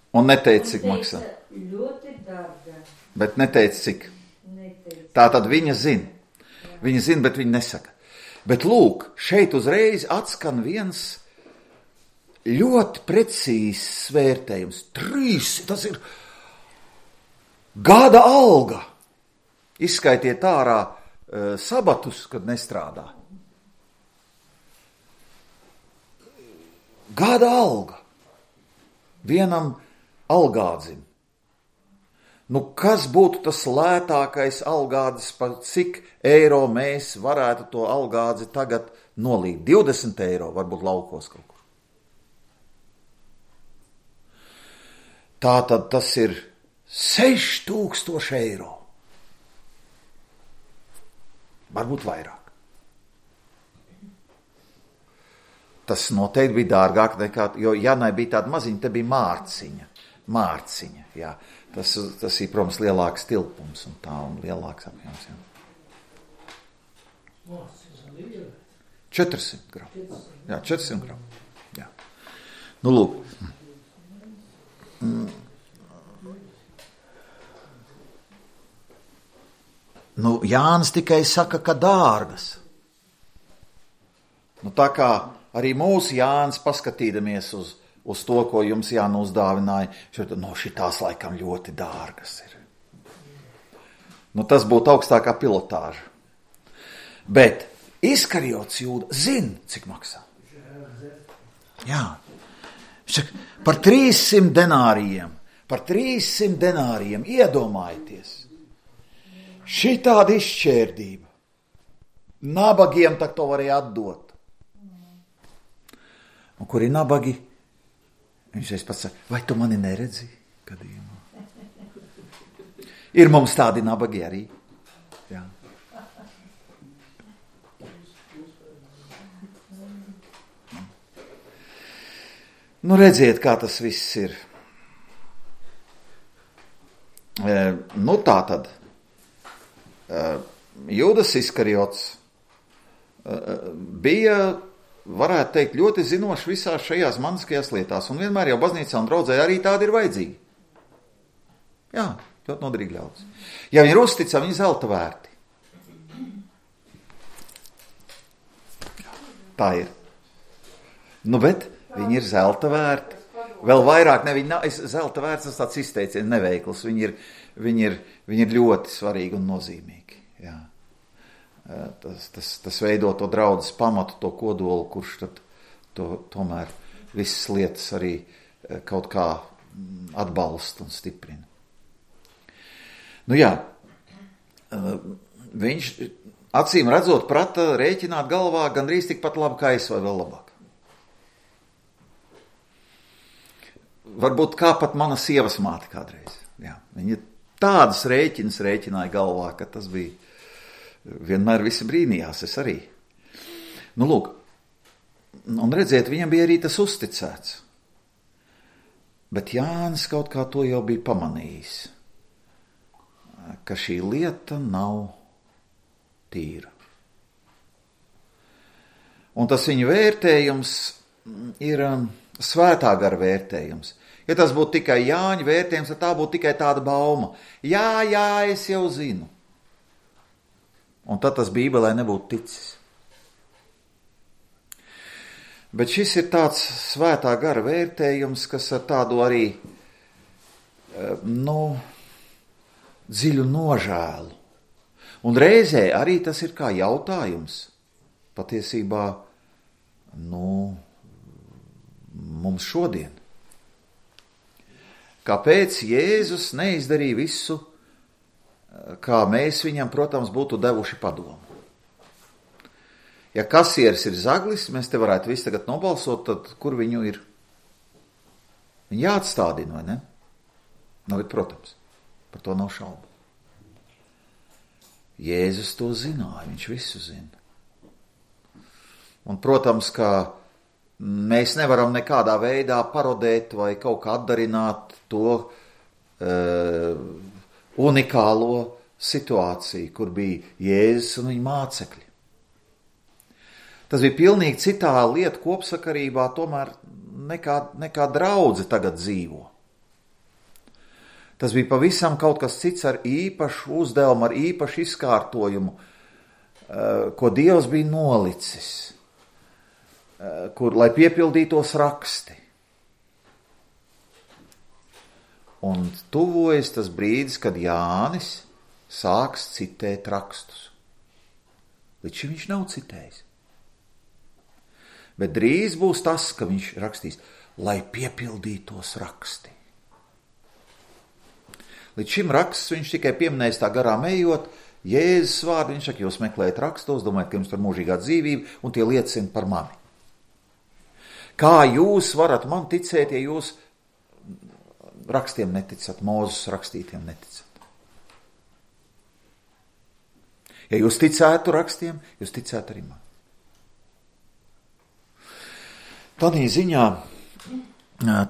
Un neteica, cik maksā. Ļoti dārga. Bet neteica, cik. Neteica. Tā tad viņa zina. Viņa zina, bet viņa nesaka. Bet lūk, šeit uzreiz atskan viens ļoti precīzs vērtējums. Trīs, tas ir gada alga. Izskaitiet ārā uh, sabatus, kad nestrādā. Gada alga. Vienam algādzim. Nu, kas būtu tas lētākais algādzis, par cik eiro mēs varētu to algādzi tagad nolīt? divdesmit eiro, varbūt laukos kaut kur. Tātad tas ir seši tūkstoši eiro. Varbūt vairāk. Tas noteikti bija dārgāk nekā, jo Janai bija tāda maziņa, te bija mārciņa. Mārciņa, jā. Tas, tas ir, protams, lielāks tilpums un tā, un lielāks apjoms, jā. četrsimt gramu. Jā, četrsimt gramu. Jā. Nu, lūk. Mm. Nu, Jānis tikai saka, ka dārgas. Nu, tā kā arī mūsu Jānis paskatīdamies uz uz to, ko jums Jāna uzdāvināja, šeit, no šitās laikam ļoti dārgas ir. Nu, tas būtu augstākā pilotāža. Bet Iskariots Jūda zina, cik maksā. Jā. Par trīssimt denārijiem, Par trīssimt denāriem, iedomājieties. Šitāda izšķērdība. Nabagiem tak to varēja atdot. Un kur ir nabagi? Viņš reiz pats saka, vai tu mani neredzi? Gadījumā. Ir mums tādi nabagi arī. Jā. Nu, redziet, kā tas viss ir. E, nu, tā tad. E, Jūdas Iskariots e, bija, varētu teikt, ļoti zinošs visās šajās maniskajās lietās. Un vienmēr jau baznīcā un draudzē arī tādi ir vajadzīgi. Jā, ļoti noderīgi ļaudis. Ja viņi ir uzticami, viņi zelta vērti. Tā ir. Nu, bet viņi ir zelta vērti. Vēl vairāk, ne, viņi nav, zelta vērts, tas tāds izteiciens neveikls. Viņi ir, viņi ir, viņi ir ļoti svarīgi un nozīmīgi. Jā. Tas, tas, tas veido to draudzes pamatu, to kodolu, kurš tad to, tomēr visas lietas arī kaut kā atbalsta un stiprina. Nu jā, viņš acīm redzot prata rēķināt galvā gandrīz tikpat labi kā es vai vēl labāk. Varbūt kā pat mana sievas māte kādreiz. Jā, viņa tādas rēķinas rēķināja galvā, ka tas bija vienmēr visi brīnījās, es arī. Nu, lūk, un redziet, viņam bija arī tas uzticēts. Bet Jānis kaut kā to jau bija pamanījis, ka šī lieta nav tīra. Un tas viņa vērtējums ir svētā gara vērtējums. Ja tas būtu tikai Jāņa vērtējums, tad tā būtu tikai tāda bauma. Jā, jā, es jau zinu. Un tad tas Bībelē nebūtu ticis. Bet šis ir tāds svētā gara vērtējums, kas ar tādu arī, nu, dziļu nožēlu. Un reizē arī tas ir kā jautājums. Patiesībā, nu, mums šodien. Kāpēc Jēzus neizdarīja visu, kā mēs viņam, protams, būtu devuši padomu? Ja kasieris ir zaglis, mēs te varētu visu tagad nobalsot, tad kur viņu ir? Viņu jāatstādina, vai ne? Nu, bet, protams, par to nav šaubu. Jēzus to zināja, viņš visu zina. Un, protams, ka mēs nevaram nekādā veidā parodēt vai kaut kā atdarināt to uh, unikālo situāciju, kur bija Jēzus un viņa mācekļi. Tas bija pilnīgi citā lieta kopsakarībā, tomēr nekā, nekā draudze tagad dzīvo. Tas bija pavisam kaut kas cits ar īpašu uzdevumu, ar īpašu izkārtojumu, uh, ko Dievs bija nolicis. Kur, lai piepildītos raksti. Un tuvojas tas brīdis, kad Jānis sāks citēt rakstus. Līdz šim viņš nav citējis. Bet drīz būs tas, ka viņš rakstīs, lai piepildītos raksti. Līdz šim raksts viņš tikai pieminējis tā garām ejot, Jēzus vārdu, viņš saka, jūs meklējat rakstos, domājat, ka jums tur mūžīgā dzīvība, un tie liecina par mani. Kā jūs varat man ticēt, ja jūs rakstiem neticat, Mūzes rakstītiem neticat? Ja jūs ticētu rakstiem, jūs ticētu arī man. Tādā ziņā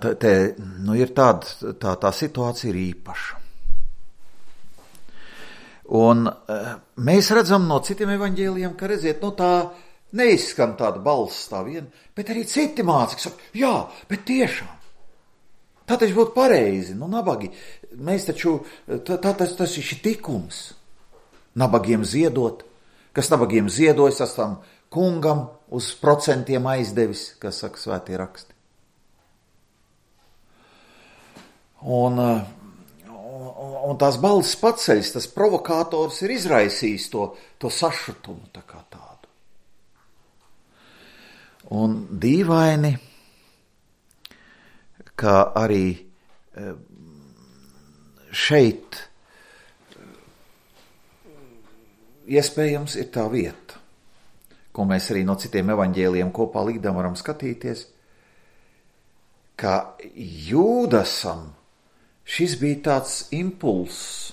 tā, tā, nu, ir tāda, tā, tā situācija ir īpaša. Un mēs redzam no citiem evaņģēlijiem, ka redziet, nu tā neizskan tāda balss tā viena, bet arī citi mācekļi saka, jā, bet tiešām. Tā taču būtu pareizi, nu nabagi. Mēs taču, tā, tā, tas, tas ir šī tikums. Nabagiem ziedot, kas nabagiem ziedojas, tas tam kungam uz procentiem aizdevis, kas saka svētie raksti. Un, un, un tās balss paceļas, tas provokators ir izraisījis to, to sašutumu tā kā tādu. Un dīvaini, ka arī šeit iespējams ir tā vieta, ko mēs arī no citiem evaņģēlijiem kopā likdam varam skatīties, ka Jūdasam šis bija tāds impulss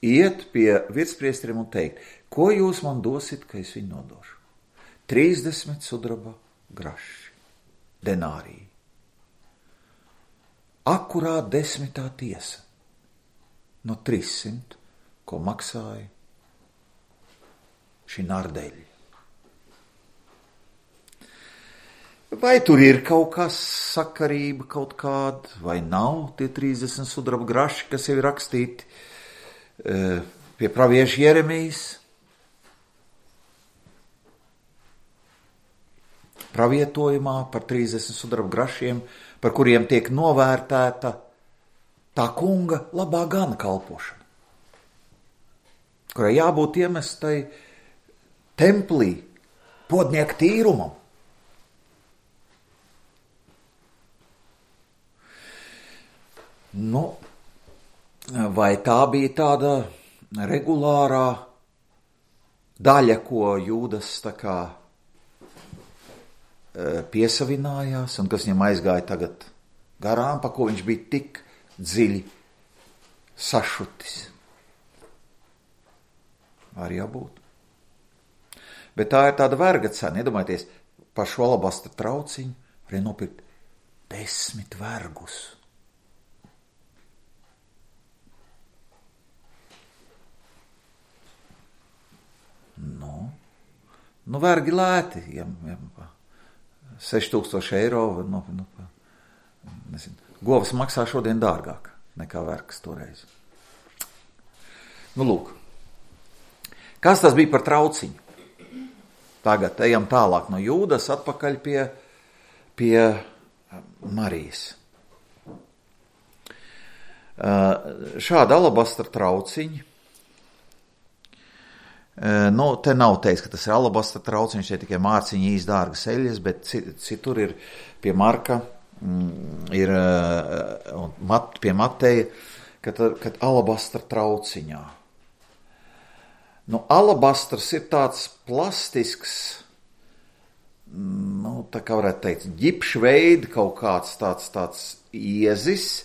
iet pie virspriesteriem un teikt, ko jūs man dosit, ka es viņu nodošu? trīsdesmit sudraba graši, denāriji. Akurāt desmitā tiesa no trīssimt, ko maksāja šī nardeļa. Vai tur ir kaut kas sakarība kaut kāda, vai nav tie trīsdesmit sudraba graši, kas jau ir rakstīti e, pie pravieša Jeremijas? Pravietojumā par trīsdesmit sudraba grašiem, par kuriem tiek novērtēta tā kunga labā gana kalpošana, kurai jābūt iemestai templī podnieku tīrumam. Nu, vai tā bija tāda regulārā daļa, ko Jūdas tā kā piesavinājās un kas viņam aizgāja tagad garām, pa ko viņš bija tik dziļi sašutis? Var jābūt. Bet tā ir tāda verga cena. Iedomājieties, par šo alabastra trauciņu varēja nopirkt desmit vergus. Nu, nu vergi lēti, ja, ja, seši tūkstoši eiro, nu, nu, nezinu, govs maksā šodien dārgāk nekā vergs toreiz. Nu, lūk. Kas tas bija par trauciņu? Tagad ejam tālāk no Jūdas atpakaļ pie, pie Marijas. Šāda alabastra trauciņa. Nu, te nav teiks, ka tas ir alabastra trauciņš, te tikai mārciņa īs dārgas eļas, bet citur ir pie Marka, ir mat, pie Mateja, kad, kad alabastra trauciņā. Nu, alabastrs ir tāds plastisks, nu, tā kā varētu teikt, ģipšveida kaut kāds tāds, tāds iezis,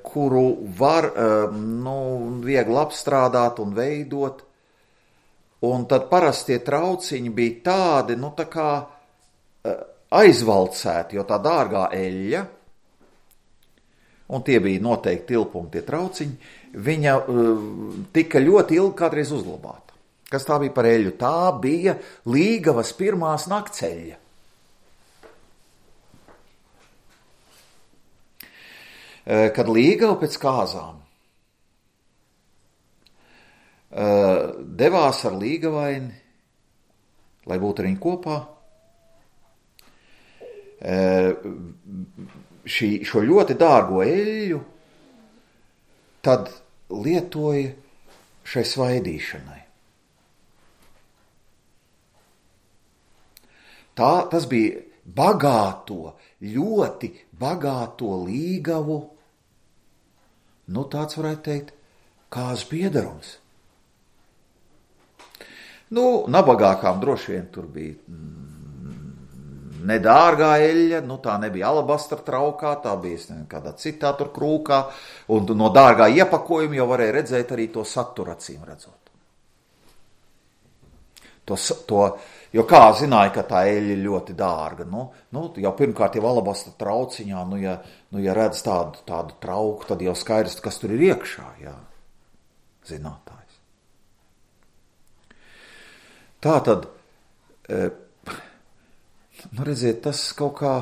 kuru var, nu, viegli apstrādāt un veidot. Un tad parasti tie trauciņi bija tādi, nu tā kā aizvalcēti, jo tā dārgā eļļa, un tie bija noteikti tilpumi tie trauciņi, viņa uh, tika ļoti ilgi kādreiz uzglabāta. Kas tā bija par eļļu? Tā bija Līgavas pirmās nakceļa. Kad Līgava pēc kāzām devās ar Līgavaini, lai būtu ar viņu kopā, šī, šo ļoti dārgo eļļu tad lietoja šai svaidīšanai. Tā, tas bija bagāto, ļoti bagāto Līgavu, nu tāds varētu teikt, kāzu piedarums. Nu, nabagākām droši vien tur bija nedārgā eļļa, nu tā nebija alabastra traukā, tā bija ne, kādā citā tur krūkā, un no dārgā iepakojuma jau varēja redzēt arī to saturu acīm redzot. To, to, jo kā zināja, ka tā eļļa ir ļoti dārga, nu, nu jau pirmkārt jau alabastra trauciņā, nu ja, nu, ja redz tādu, tādu trauku, tad jau skaidrs, kas tur ir iekšā, jā, zinātājs. Tā tad, nu redziet, tas kaut kā,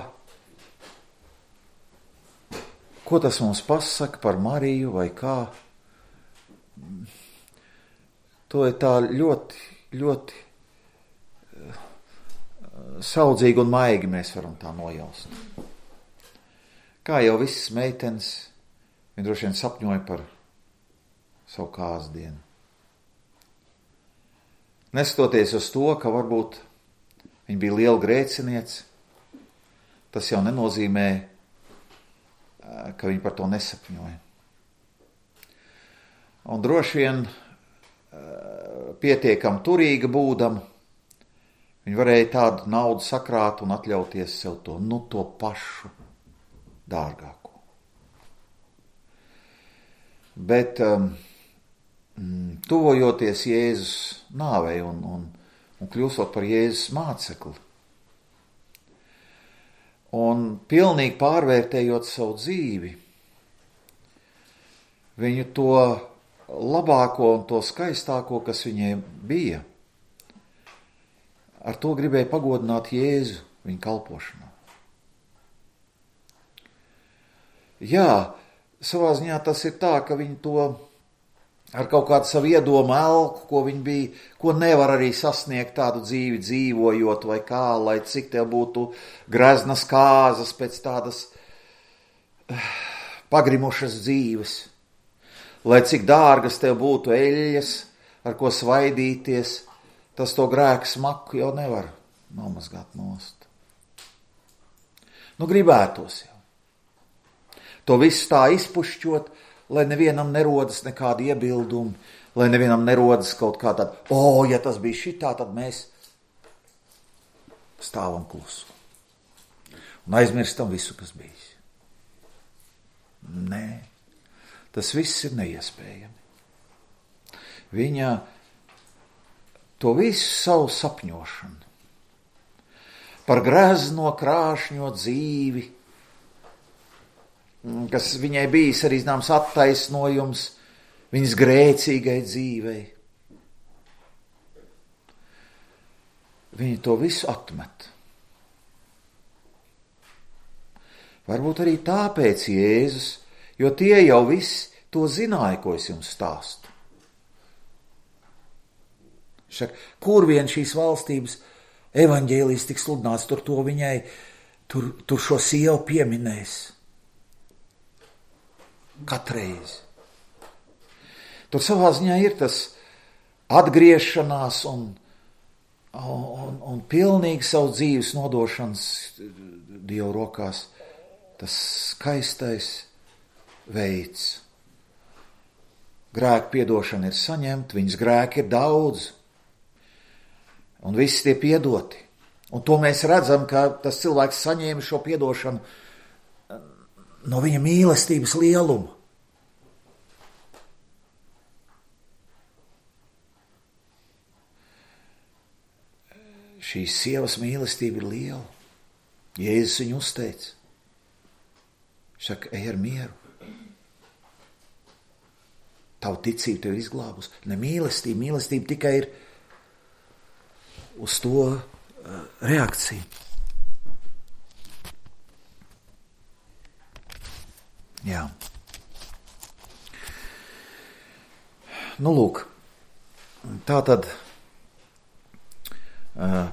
ko tas mums pasaka par Mariju vai kā, to ir tā ļoti, ļoti saudzīgi un maigi mēs varam tā nojaust. Kā jau visas meitenes, viņi droši vien sapņoja par savu kāzdienu. Neskatoties uz to, ka varbūt viņa bija liela grēciniece, tas jau nenozīmē ka viņi par to nesapņoja. Un droši vien pietiekam turīga būdam, viņi varēja tādu naudu sakrāt un atļauties sev to, nu to pašu dārgāko. Bet um, tuvojoties Jēzus nāvei un, un, un kļūstot par Jēzus mācekli, un pilnīgi pārvērtējot savu dzīvi, viņu to labāko un to skaistāko, kas viņiem bija, ar to gribēja pagodināt Jēzu viņa kalpošanā. Jā, savā ziņā tas ir tā, ka viņi to ar kaut kādu savu iedomu elku, ko viņi bija, ko nevar arī sasniegt tādu dzīvi dzīvojot vai kā, lai cik tev būtu greznas kāzas pēc tādas pagrimušas dzīves, lai cik dārgas tev būtu eļļas, ar ko svaidīties, tas to grēku smaku jau nevar nomazgāt nost. Nu, gribētos jau. To visu tā izpušķot, lai nevienam nerodas nekādi iebildumi, lai nevienam nerodas kaut kā tāda, o, ja tas bija šitā, tad mēs stāvam klusu. Un aizmirstam visu, kas bijis. Nē, tas viss ir neiespējami. Viņa to visu savu sapņošanu par grezno krāšņo dzīvi, kas viņai bijis arī zināms attaisnojums viņas grēcīgai dzīvei. Viņa to visu atmet. Varbūt arī tāpēc Jēzus, jo tie jau visi to zināja, ko es jums stāstu. Šak, kur vien šīs valstības evaņģēlijs tik sludināts, tur to viņai, tur, tur šo sievu pieminēs. Katreiz. Tur savā ziņā ir tas atgriešanās un, un, un pilnīgi savu dzīves nodošanas Dievu rokās, tas skaistais veids. Grēku piedošana ir saņemta, viņas grēki ir daudz, un visi tie piedoti. Un to mēs redzam, ka tas cilvēks saņēma šo piedošanu no viņa mīlestības lieluma. Šīs sievas mīlestība ir liela. Jēzus viņu uzteica. Saka, ej ar mieru. Tavu ticību tev izglābus. Ne mīlestība, mīlestība tikai ir uz to uh, reakciju. Jā. Nu, lūk, tā tad uh,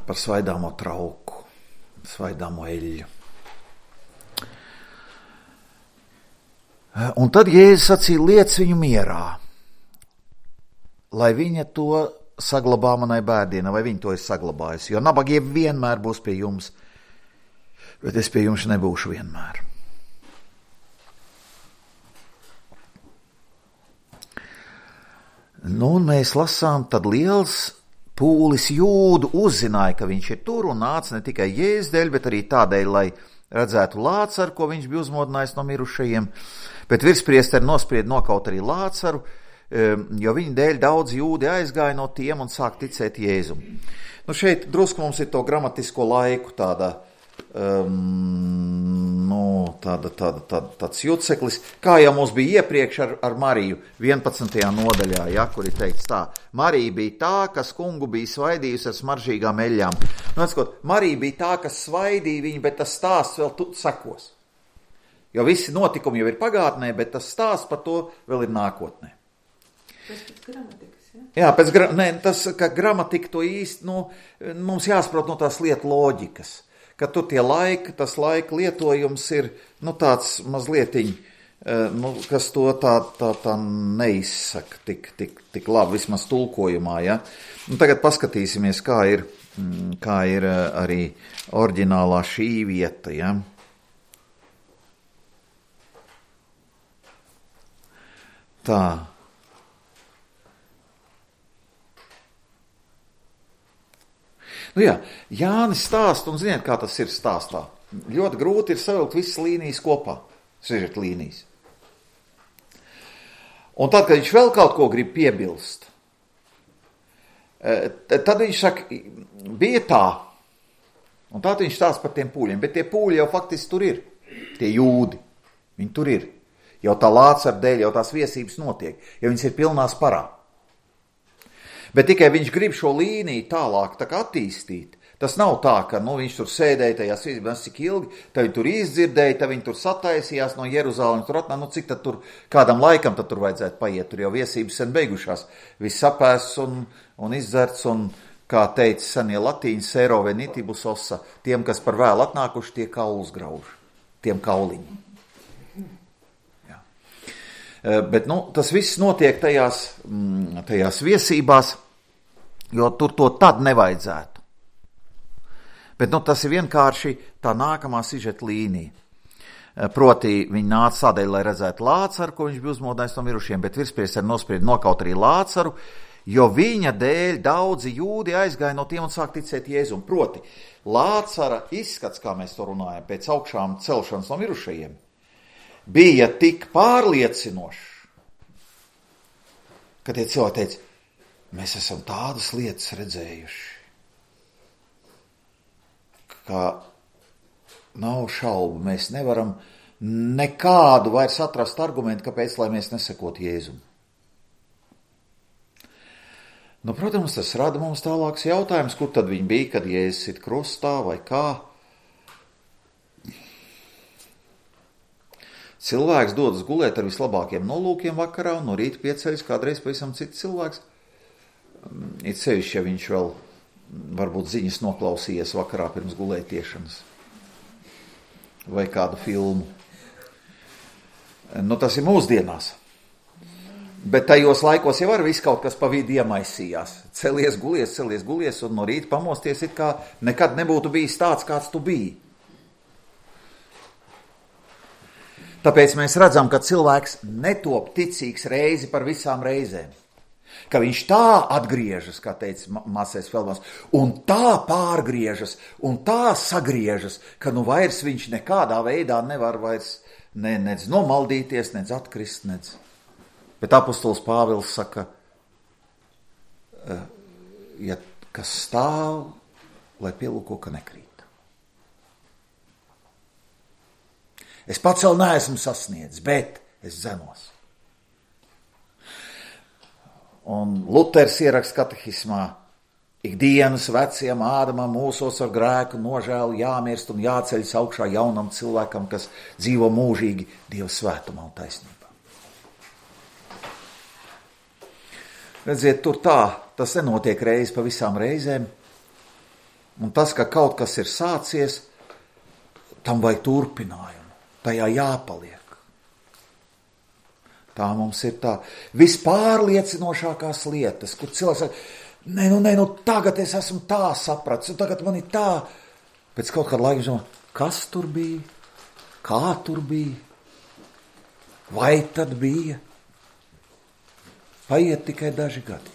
par svaidāmo trauku, svaidāmo eļļu. Uh, un tad Jēzus sacīja, liec viņu mierā, lai viņa to saglabā manai bērdienai, vai viņa to ir saglabājusi, jo nabagie vienmēr būs pie jums, bet es pie jums nebūšu vienmēr. Nu, un mēs lasām, tad liels pūlis jūdu uzzināja, ka viņš ir tur un nāca ne tikai Jēzus dēļ, bet arī tādēļ, lai redzētu Lācaru, ko viņš bija uzmodinājis no mirušajiem, bet virspriesteri nosprieda nokaut arī Lācaru, jo viņa dēļ daudz jūdi aizgāja no tiem un sāk ticēt Jēzum. Nu, šeit drusku mums ir to gramatisko laiku tāda, um, nu, tāda, tāda, tāda, tāds juceklis, kā jau mums bija iepriekš ar, ar Mariju vienpadsmitajā nodaļā, ja, kur ir teikts tā, Marija bija tā, kas kungu bija svaidījusi ar smaržīgām eļļām. Nu, atskot, Marija bija tā, kas svaidīja viņu, bet tas stāsts vēl tu, sekos. Jo visi notikumi jau ir pagātnē, bet tas stāsts par to vēl ir nākotnē. Tas pēc gramatikas, ja? Jā, pēc gra... Nē, tas, ka gramatika to īsti, nu, mums jāsaprot no tās lietu loģikas, ka tur tie laika, tas laika lietojums ir, nu, tāds mazlietiņ, nu, kas to tā, tā, tā neizsaka tik, tik, tik labi, vismaz tulkojumā, ja. Un tagad paskatīsimies, kā ir, kā ir arī oriģinālā šī vieta, ja. Tā. Nu jā, Jānis stāst, un ziniet, kā tas ir stāstā. Ļoti grūti ir savilkt visas līnijas kopā, sižeta līnijas. Un tad, kad viņš vēl kaut ko grib piebilst, tad viņš saka, bija tā, un tad viņš stāsta par tiem pūļiem, bet tie pūļi jau faktiski tur ir, tie jūdi, viņi tur ir. Jau tā Lācara dēļ, jau tās viesības notiek, jo viņas ir pilnās parā. Bet tikai viņš grib šo līniju tālāk tā kā attīstīt. Tas nav tā, ka nu, viņš tur sēdēja tajās viesībās cik ilgi, tad viņi tur izdzirdēja, tad viņi tur sataisījās no Jeruzālemes, tur atnā, nu cik tad tur kādam laikam tad tur vajadzētu paiet, tur jau viesības sen beigušās, viss sapēsts un, un izdzerts, un kā teica senie latīņi, sero venitibus ossa, tiem, kas par vēl atnākuši, tie kaulus grauž, tiem kauliņi. Jā. Bet, nu, tas viss notiek tajās, tajās viesībās, jo tur to tad nevajadzētu. Bet nu, tas ir vienkārši tā nākamā sižeta līnija. Proti, viņi nāca tādēļ, lai redzētu Lācaru, ko viņš bija uzmodinājis no mirušiem, bet virspriesteri nosprieda nokaut arī Lācaru, jo viņa dēļ daudzi jūdi aizgāja no tiem un sāk ticēt Jēzum. Proti, Lācara izskats, kā mēs to runājam, pēc augšām celšanas no mirušajiem, bija tik pārliecinošs, ka tie cilvēki teica, mēs esam tādas lietas redzējuši, ka nav šaubu, mēs nevaram nekādu vairs atrast argumentu, kāpēc, lai mēs nesakot Jēzum. Nu, protams, tas rada mums tālāks jautājums, kur tad viņi bija, kad Jēzus sit krustā vai kā. Cilvēks dodas gulēt ar vislabākiem nolūkiem vakarā un no rīta pieceļas kādreiz pavisam cits cilvēks. It sevišķi, ja viņš vēl varbūt ziņas noklausījies vakarā pirms gulētiešanas vai kādu filmu. Nu, tas ir mūsdienās. Bet tajos laikos jau ar visu kaut kas pa vidu iemaisījās. Celies, gulies, celies, gulies un no rīta pamosties it kā nekad nebūtu bijis tāds, kāds tu biji. Tāpēc mēs redzam, ka cilvēks netop ticīgs reizi par visām reizēm. Ka viņš tā atgriežas, kā teica Māsais Feldmans, un tā pārgriežas, un tā sagriežas, ka nu vairs viņš nekādā veidā nevar vairs ne, nec nomaldīties, nec atkrist, nec. Bet apostols Pāvils saka, ja kas stāv, lai pielūko, ka nekrīt. Es pats vēl neesmu sasniedzis, bet es zenos. Un Luters ieraksta katehismā, ikdienas veciem Ādamam mūsos ar grēku nožēlu jāmirst un jāceļas augšā jaunam cilvēkam, kas dzīvo mūžīgi Dieva svētumā un taisnībā. Redziet, tur tā, tas nenotiek reizi pa visām reizēm, un tas, ka kaut kas ir sācies, tam vajag turpinājumu, tajā jāpaliek. Tā mums ir tā vispārliecinošākās lietas, kur cilvēks saka, nē, nu, nē, nu, tagad es esmu tā sapratis, un tagad man ir tā. Pēc kaut kāda laika domā, kas tur bija, kā tur bija, vai tad bija. Paiet tikai daži gadi.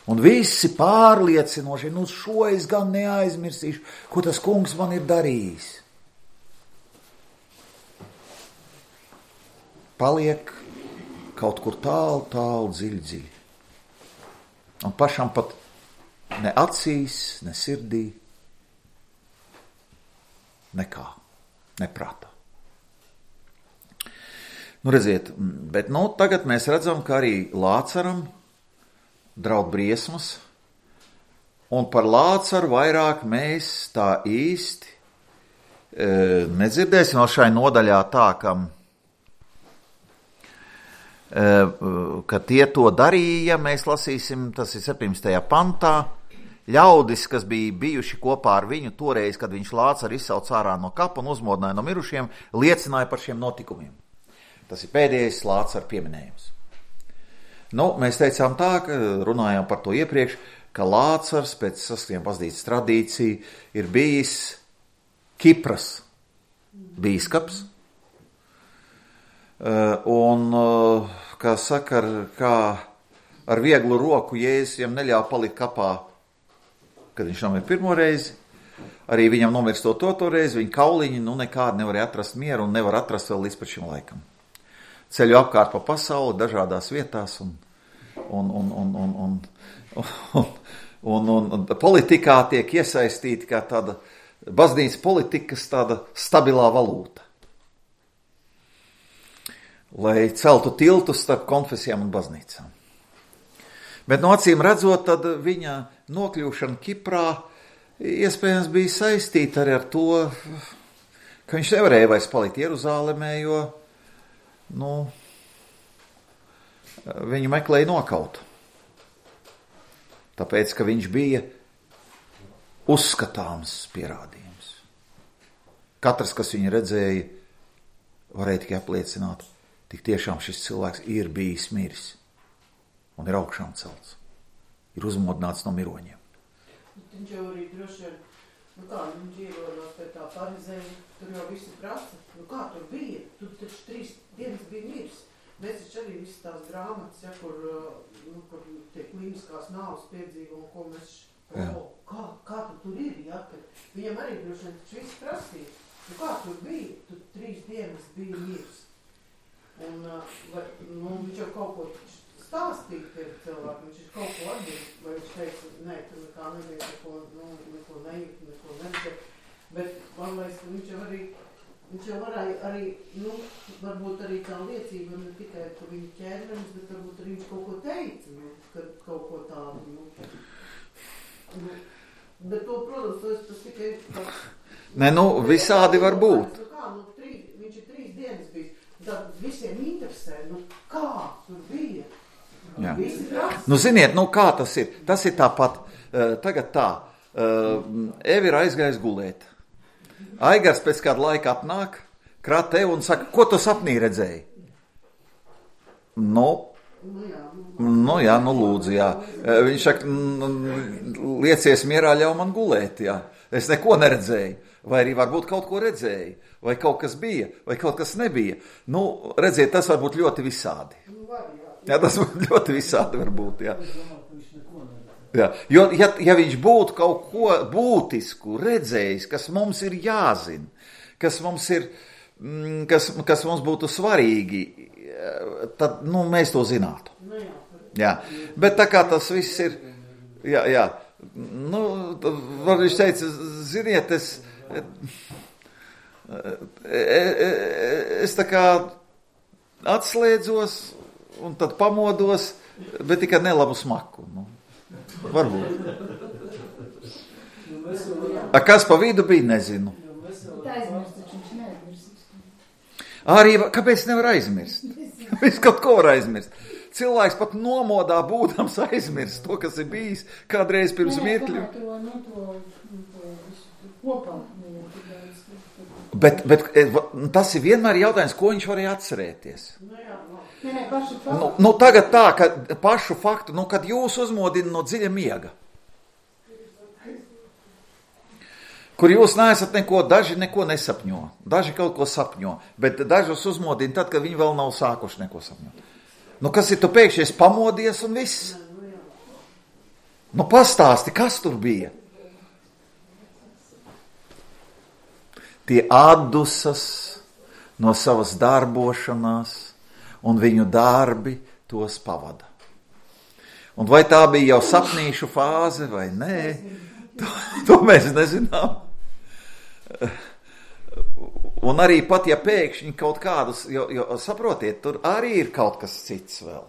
Un visi pārliecinoši, nu, šo es gan neaizmirsīšu, ko tas kungs man ir darījis. Paliek kaut kur tālu, tālu, dziļi, dziļi. Un pašam pat ne acīs, ne sirdī, nekā, neprātā. Nu, redziet, bet nu, tagad mēs redzam, ka arī Lācaram draud briesmas, un par Lācaru vairāk mēs tā īsti e, nedzirdēsim vēl šai nodaļā tā, ka ka tie to darīja, mēs lasīsim, tas ir septiņdesmitajā pantā, ļaudis, kas bija bijuši kopā ar viņu toreiz, kad viņš Lācaru izsauca ārā no kapa un uzmodināja no mirušiem, liecināja par šiem notikumiem. Tas ir pēdējais Lācara pieminējums. Nu, mēs teicām tā, ka runājām par to iepriekš, ka Lācars pēc sastiem pazīstas tradīciju ir bijis Kipras bīskaps, Un, kā saka, ar, kā ar vieglu roku Jēzus viņam neļāva palikt kapā, kad viņš nomira pirmo reizi. Arī viņam nomirstot to, to reizi, viņa kauliņi nu nekādi nevarēja atrast mieru un nevar atrast vēl līdz pat šim laikam. Ceļu apkārt pa pasauli, dažādās vietās un, un, un, un, un, un, un, un, un, un politikā tiek iesaistīta kā tāda baznīcas politikas tāda stabilā valūta. Lai celtu tiltus starp konfesijām un baznīcām. Bet no acīm redzot, tad viņa nokļūšana Kiprā iespējams bija saistīta arī ar to, ka viņš nevarēja vairs palikt Jeruzālemē, jo nu, viņu meklēja nokaut. Tāpēc, ka viņš bija uzskatāms pierādījums. Katrs, kas viņu redzēja, varēja tikai apliecināt, tik tiešām šis cilvēks ir bijis miris un ir augšām celts. Ir uzmodināts no miroņiem. Viņš jau arī droši vien, nu kā, viņš ierodās pie tā farizēja, tur jau visi prasa, nu kā tur bija, tur taču trīs dienas bija miris. Mēs taču arī visas tās grāmatas, ja, kur, nu, kur tiek klīniskās nāves piedzīvo un ko mēs, o, kā, kā tu tur ir, ja, kad viņam arī droši vien taču visi prasīja, nu kā tur bija, tur trīs dienas bija miris. Un, vai, nu, viņš jau kaut ko stāstīt tiem cilvēkiem, viņš ir kaut ko atbīd, vai viņš teica, nē, tur nekā nebija, neko, nu, neko nejūt, neko nebija, bet man liekas, ka viņš jau arī, viņš jau varēja arī, nu, varbūt arī tā liecība, ne tikai par viņu ķērmenis, bet varbūt arī viņš kaut ko teica, nu, kad kaut ko tādu, nu, nu, bet to, protams, tas, tas tikai tāds... Nē, nu, visādi var būt. Nu, kā, nu, trīs, viņš ir trīs dienas bijis, tad visiem interesē, nu, kā tur bija. Jā. Nu, ziniet, nu kā tas ir? Tas ir tāpat, uh, tagad tā, uh, Eva ir aizgājis gulēt. Aigars pēc kāda laika apnāk, krāt tev un saka, ko tu sapnī redzēji? Nu, nu jā, nu lūdzu, jā. Uh, viņš saka, liecies mierā, ļauj man gulēt, jā. Es neko neredzēju. Vai arī varbūt kaut ko redzēju, vai kaut kas bija, vai kaut kas nebija. Nu, redziet, tas var būt ļoti visādi. Jā, tas ļoti visādi var būt, jā. Jā. Jo, ja, ja viņš būtu kaut ko būtisku redzējis, kas mums ir jāzina, kas mums ir, kas, kas mums būtu svarīgi, tad, nu, mēs to zinātu. Jā. Bet tā kā tas viss ir, jā, jā, nu, var viņš teica, ziniet, es, es tā kā atslēdzos, un tad pamodos, bet tikai nelabu smaku. Nu, varbūt. A, kas pa vidu bija, nezinu. Tā aizmirst, taču viņš neaizmirst. Arī, kāpēc nevar aizmirst? Viņš kaut ko var aizmirst. Cilvēks pat nomodā būdams aizmirst to, kas ir bijis kādreiz pirms mirkļu. Bet, bet tas ir vienmēr jautājums, ko viņš varēja atcerēties. Nē, nē, pašu faktu. Nu, nu, tagad tā, ka pašu faktu, nu, kad jūs uzmodina no dziļa miega, kur jūs neesat neko, daži neko nesapņo, daži kaut ko sapņo, bet dažus uzmodina tad, kad viņi vēl nav sākuši neko sapņot. Nu, kas ir, tu pēkšņi pamodies un viss? Nu, pastāsti, kas tur bija? Tie atdusas no savas darbošanās, un viņu darbi tos pavada. Un vai tā bija jau sapnīšu fāze vai nē, to, to mēs nezinām. Un arī pat, ja pēkšņi kaut kādus, jo, jo saprotiet, tur arī ir kaut kas cits vēl.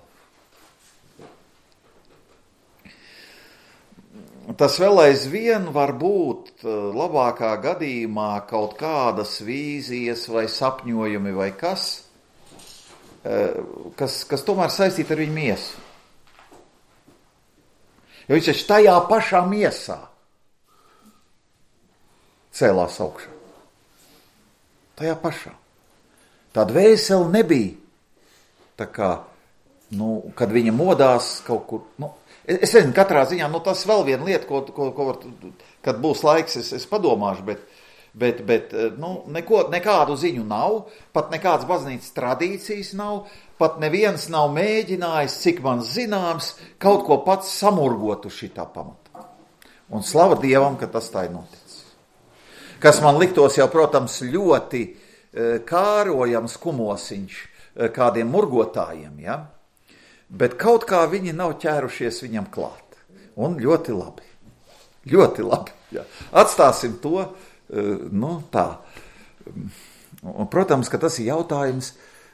Tas vēl aizvien var būt labākā gadījumā kaut kādas vīzijas vai sapņojumi vai kas, kas, kas tomēr saistīta ar viņu miesu. Jo viņš taču tajā pašā miesā cēlās augšā. Tajā pašā. Tā dvēsele nebija tā kā, nu, kad viņa modās kaut kur, nu, es nezinu, katrā ziņā, nu, tas vēl viena lieta, ko, ko, ko var, kad būs laiks, es, es padomāšu, bet, bet, bet nu, neko, nekādu ziņu nav, pat nekādas baznīcas tradīcijas nav, pat neviens nav mēģinājis, cik man zināms, kaut ko pats samurgot uz šitā pamata. Un slava Dievam, ka tas tā ir noticis. Kas man liktos jau, protams, ļoti kārojams kumosiņš kādiem murgotājiem, ja? Bet kaut kā viņi nav ķērušies viņam klāt. Un ļoti labi. Ļoti labi. Ja. Atstāsim to, nu tā. Un, protams, ka tas ir jautājums,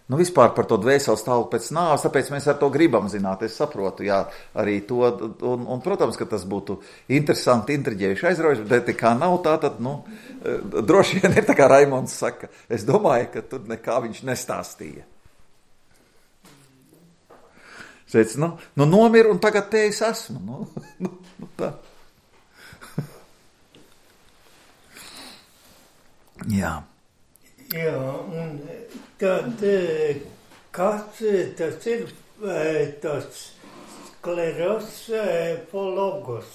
nu vispār par to dvēseles stāvokli pēc nāves, tāpēc mēs ar to gribam zināt, es saprotu, jā, arī to, un, un protams, ka tas būtu interesanti, intriģējuši, aizraujuši, bet kā nav tā, tad, nu, droši vien ir tā kā Raimonds saka, es domāju, ka tur nekā viņš nestāstīja. Šeit, nu, nu nomir un tagad te es esmu, nu, nu, nu tā. Jā. Jā, un tad kas tas ir tas sklerosfologos?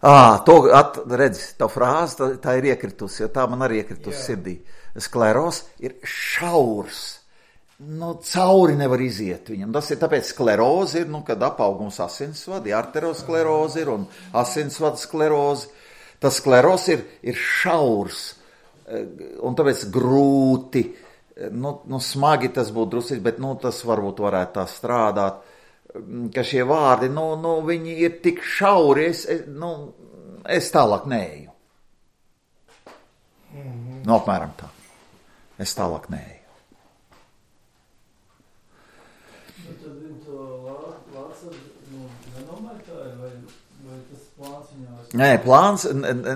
Ā, to at, redz, tā frāze, tā, tā ir iekritusi, jo tā man arī iekritusi sirdī. Skleros ir šaurs. Nu, cauri nevar iziet viņam. Tas ir tāpēc sklerozi ir, nu, kad apaugums asinsvadi, arterosklerozi ir un asinsvada sklerozi. Tas skleros ir, ir šaurs un tāpēc grūti, nu, nu smagi tas būtu drusīt, bet, nu, tas varbūt varētu tā strādāt, ka šie vārdi, nu, nu viņi ir tik šauri, es, es, nu, es tālāk neeju. Mm-hmm. Nu, apmēram tā. Es tālāk neeju. Nē, plāns,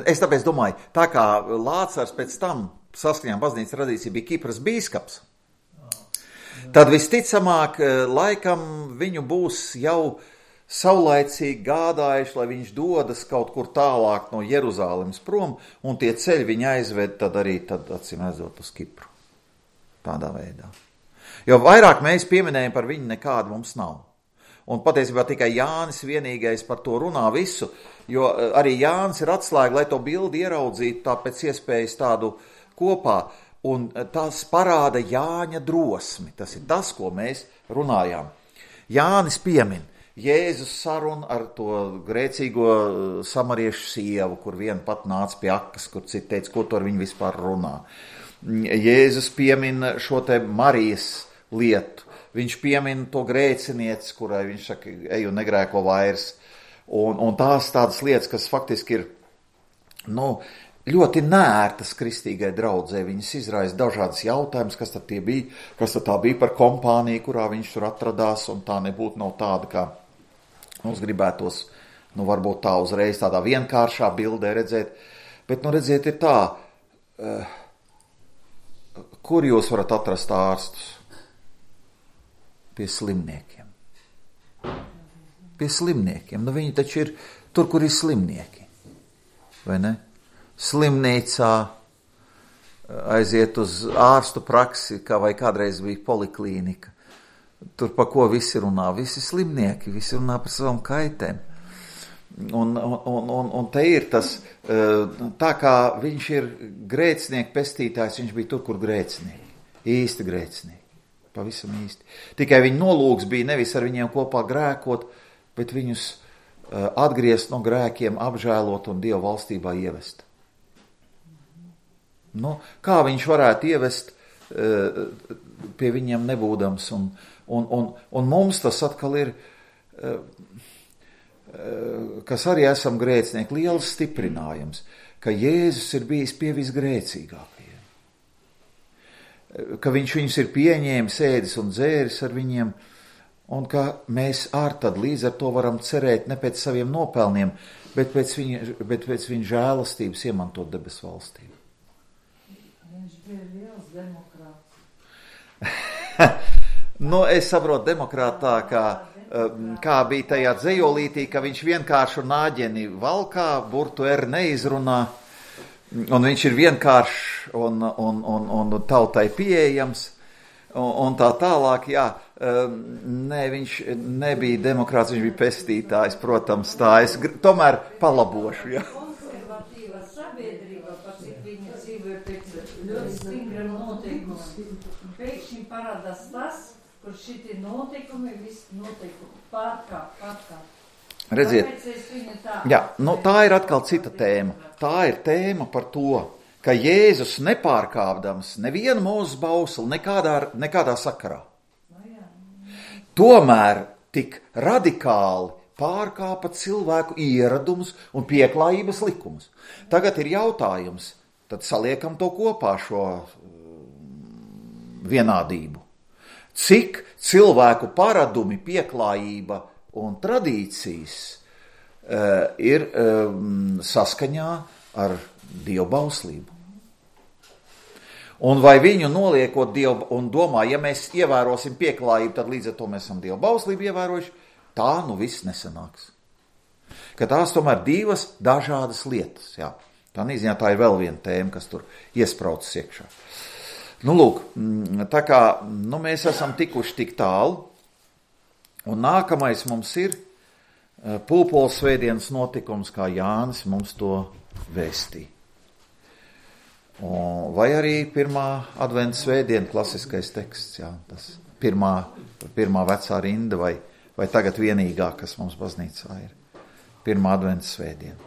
es tāpēc domāju, tā kā Lācars pēc tam saskaņā baznīcas tradīcija bija Kipras bīskaps, tad visticamāk laikam viņu būs jau saulaicīgi gādājuši, lai viņš dodas kaut kur tālāk no Jeruzālemes prom, un tie ceļi viņa aizved tad arī, tad acīm redzot uz Kipru. Tādā veidā. Jo vairāk mēs pieminējam par viņu nekādu mums nav. Un patiesībā tikai Jānis vienīgais par to runā visu, jo arī Jānis ir atslēga, lai to bildi ieraudzītu tā pēc iespējas tādu kopā. Un tas parāda Jāņa drosmi. Tas ir tas, ko mēs runājām. Jānis piemin Jēzus sarunu ar to grēcīgo samariešu sievu, kur viena pat nāca pie akas, kur cita teica, ko tur viņi vispār runā. Jēzus piemin šo te Marijas lietu. Viņš piemin to grēcinieci, kurai viņš saka, ej un negrēko vairs. Un, un tās tādas lietas, kas faktiski ir, nu, ļoti nērtas kristīgai draudzē. Viņas izraisa dažādas jautājumas, kas tad tie bija, kas tad tā bija par kompāniju, kurā viņš tur atradās, un tā nebūtu nav tāda, kā mums gribētos, nu, varbūt tā uzreiz tādā vienkāršā bildē redzēt. Bet, nu, redziet, ir tā, uh, kur jūs varat atrast ārstus? Pie slimniekiem. Pie slimniekiem. Nu, viņi taču ir tur, kur ir slimnieki. Vai ne? Slimnīcā aiziet uz ārstu praksi, kā vai kādreiz bija poliklīnika. Tur pa ko visi runā? Visi slimnieki, visi runā par savām kaitēm. Un, un, un, un te ir tas, tā kā viņš ir grēcinieku pestītājs, viņš bija tur, kur grēcinieki. Īsti grēcinieki. Pavisam īsti. Tikai viņa nolūks bija nevis ar viņiem kopā grēkot, bet viņus uh, atgriezt no grēkiem, apžēlot un Dieva valstībā ievest. Nu, kā viņš varētu ievest uh, pie viņiem nebūdams? Un, un, un, un mums tas atkal ir, uh, uh, kas arī esam grēcinieki, liels stiprinājums, ka Jēzus ir bijis pie visgrēcīgākajiem. Ka viņš viņus ir pieņēmis, ēdis un dzēris ar viņiem, un ka mēs ar tad līdz ar to varam cerēt ne pēc saviem nopelniem, bet pēc viņa, bet pēc viņa žēlastības iemantot debesu valstību. Viņš bija liels demokrāts. Nu, es saprotu demokrātā, kā, kā bija tajā dzejolītī, ka viņš vienkāršu nāģeni valkā, burtu er neizrunā, un viņš ir vienkāršs un, un, un, un tautai pieejams, un, un tā tālāk, jā, nē, viņš nebija demokrāts, viņš bija pestītājs, protams, tā es tomēr palabošu, jā. Konservatīva sabiedrība, par cik viņi parādās tas, kur šitie notikumi, visi notikumi pārkāp, pārkāp. Redziet, Tāpēc es viņu tā... jā, nu tā ir atkal cita tēma. Tā ir tēma par to, ka Jēzus nepārkāpdams nevienu mūsu bausli nekādā, nekādā sakarā. Tomēr tik radikāli pārkāpa cilvēku ieradumus un pieklājības likumus. Tagad ir jautājums, tad saliekam to kopā šo vienādību. Cik cilvēku paradumi, pieklājība un tradīcijas uh, ir um, saskaņā ar dievbauslību. Un vai viņu noliekot dievu un domā, ja mēs ievērosim pieklājību, tad līdz ar to mēs esam dievbauslību ievērojuši, tā nu viss nesanāks. Ka tās tomēr divas dažādas lietas. Jā. Tā nīziņā tā ir vēl viena tēma, kas tur iespraucas iekšā. Nu, lūk, tā kā nu, mēs esam tikuši tik tālu, un nākamais mums ir Pūpoles svētdienas notikums, kā Jānis mums to vēstīja. Vai arī pirmā adventa svētdiena, klasiskais teksts, jā, tas pirmā, pirmā vecā rinda, vai, vai tagad vienīgā, kas mums baznīcā ir. Pirmā adventa svētdiena.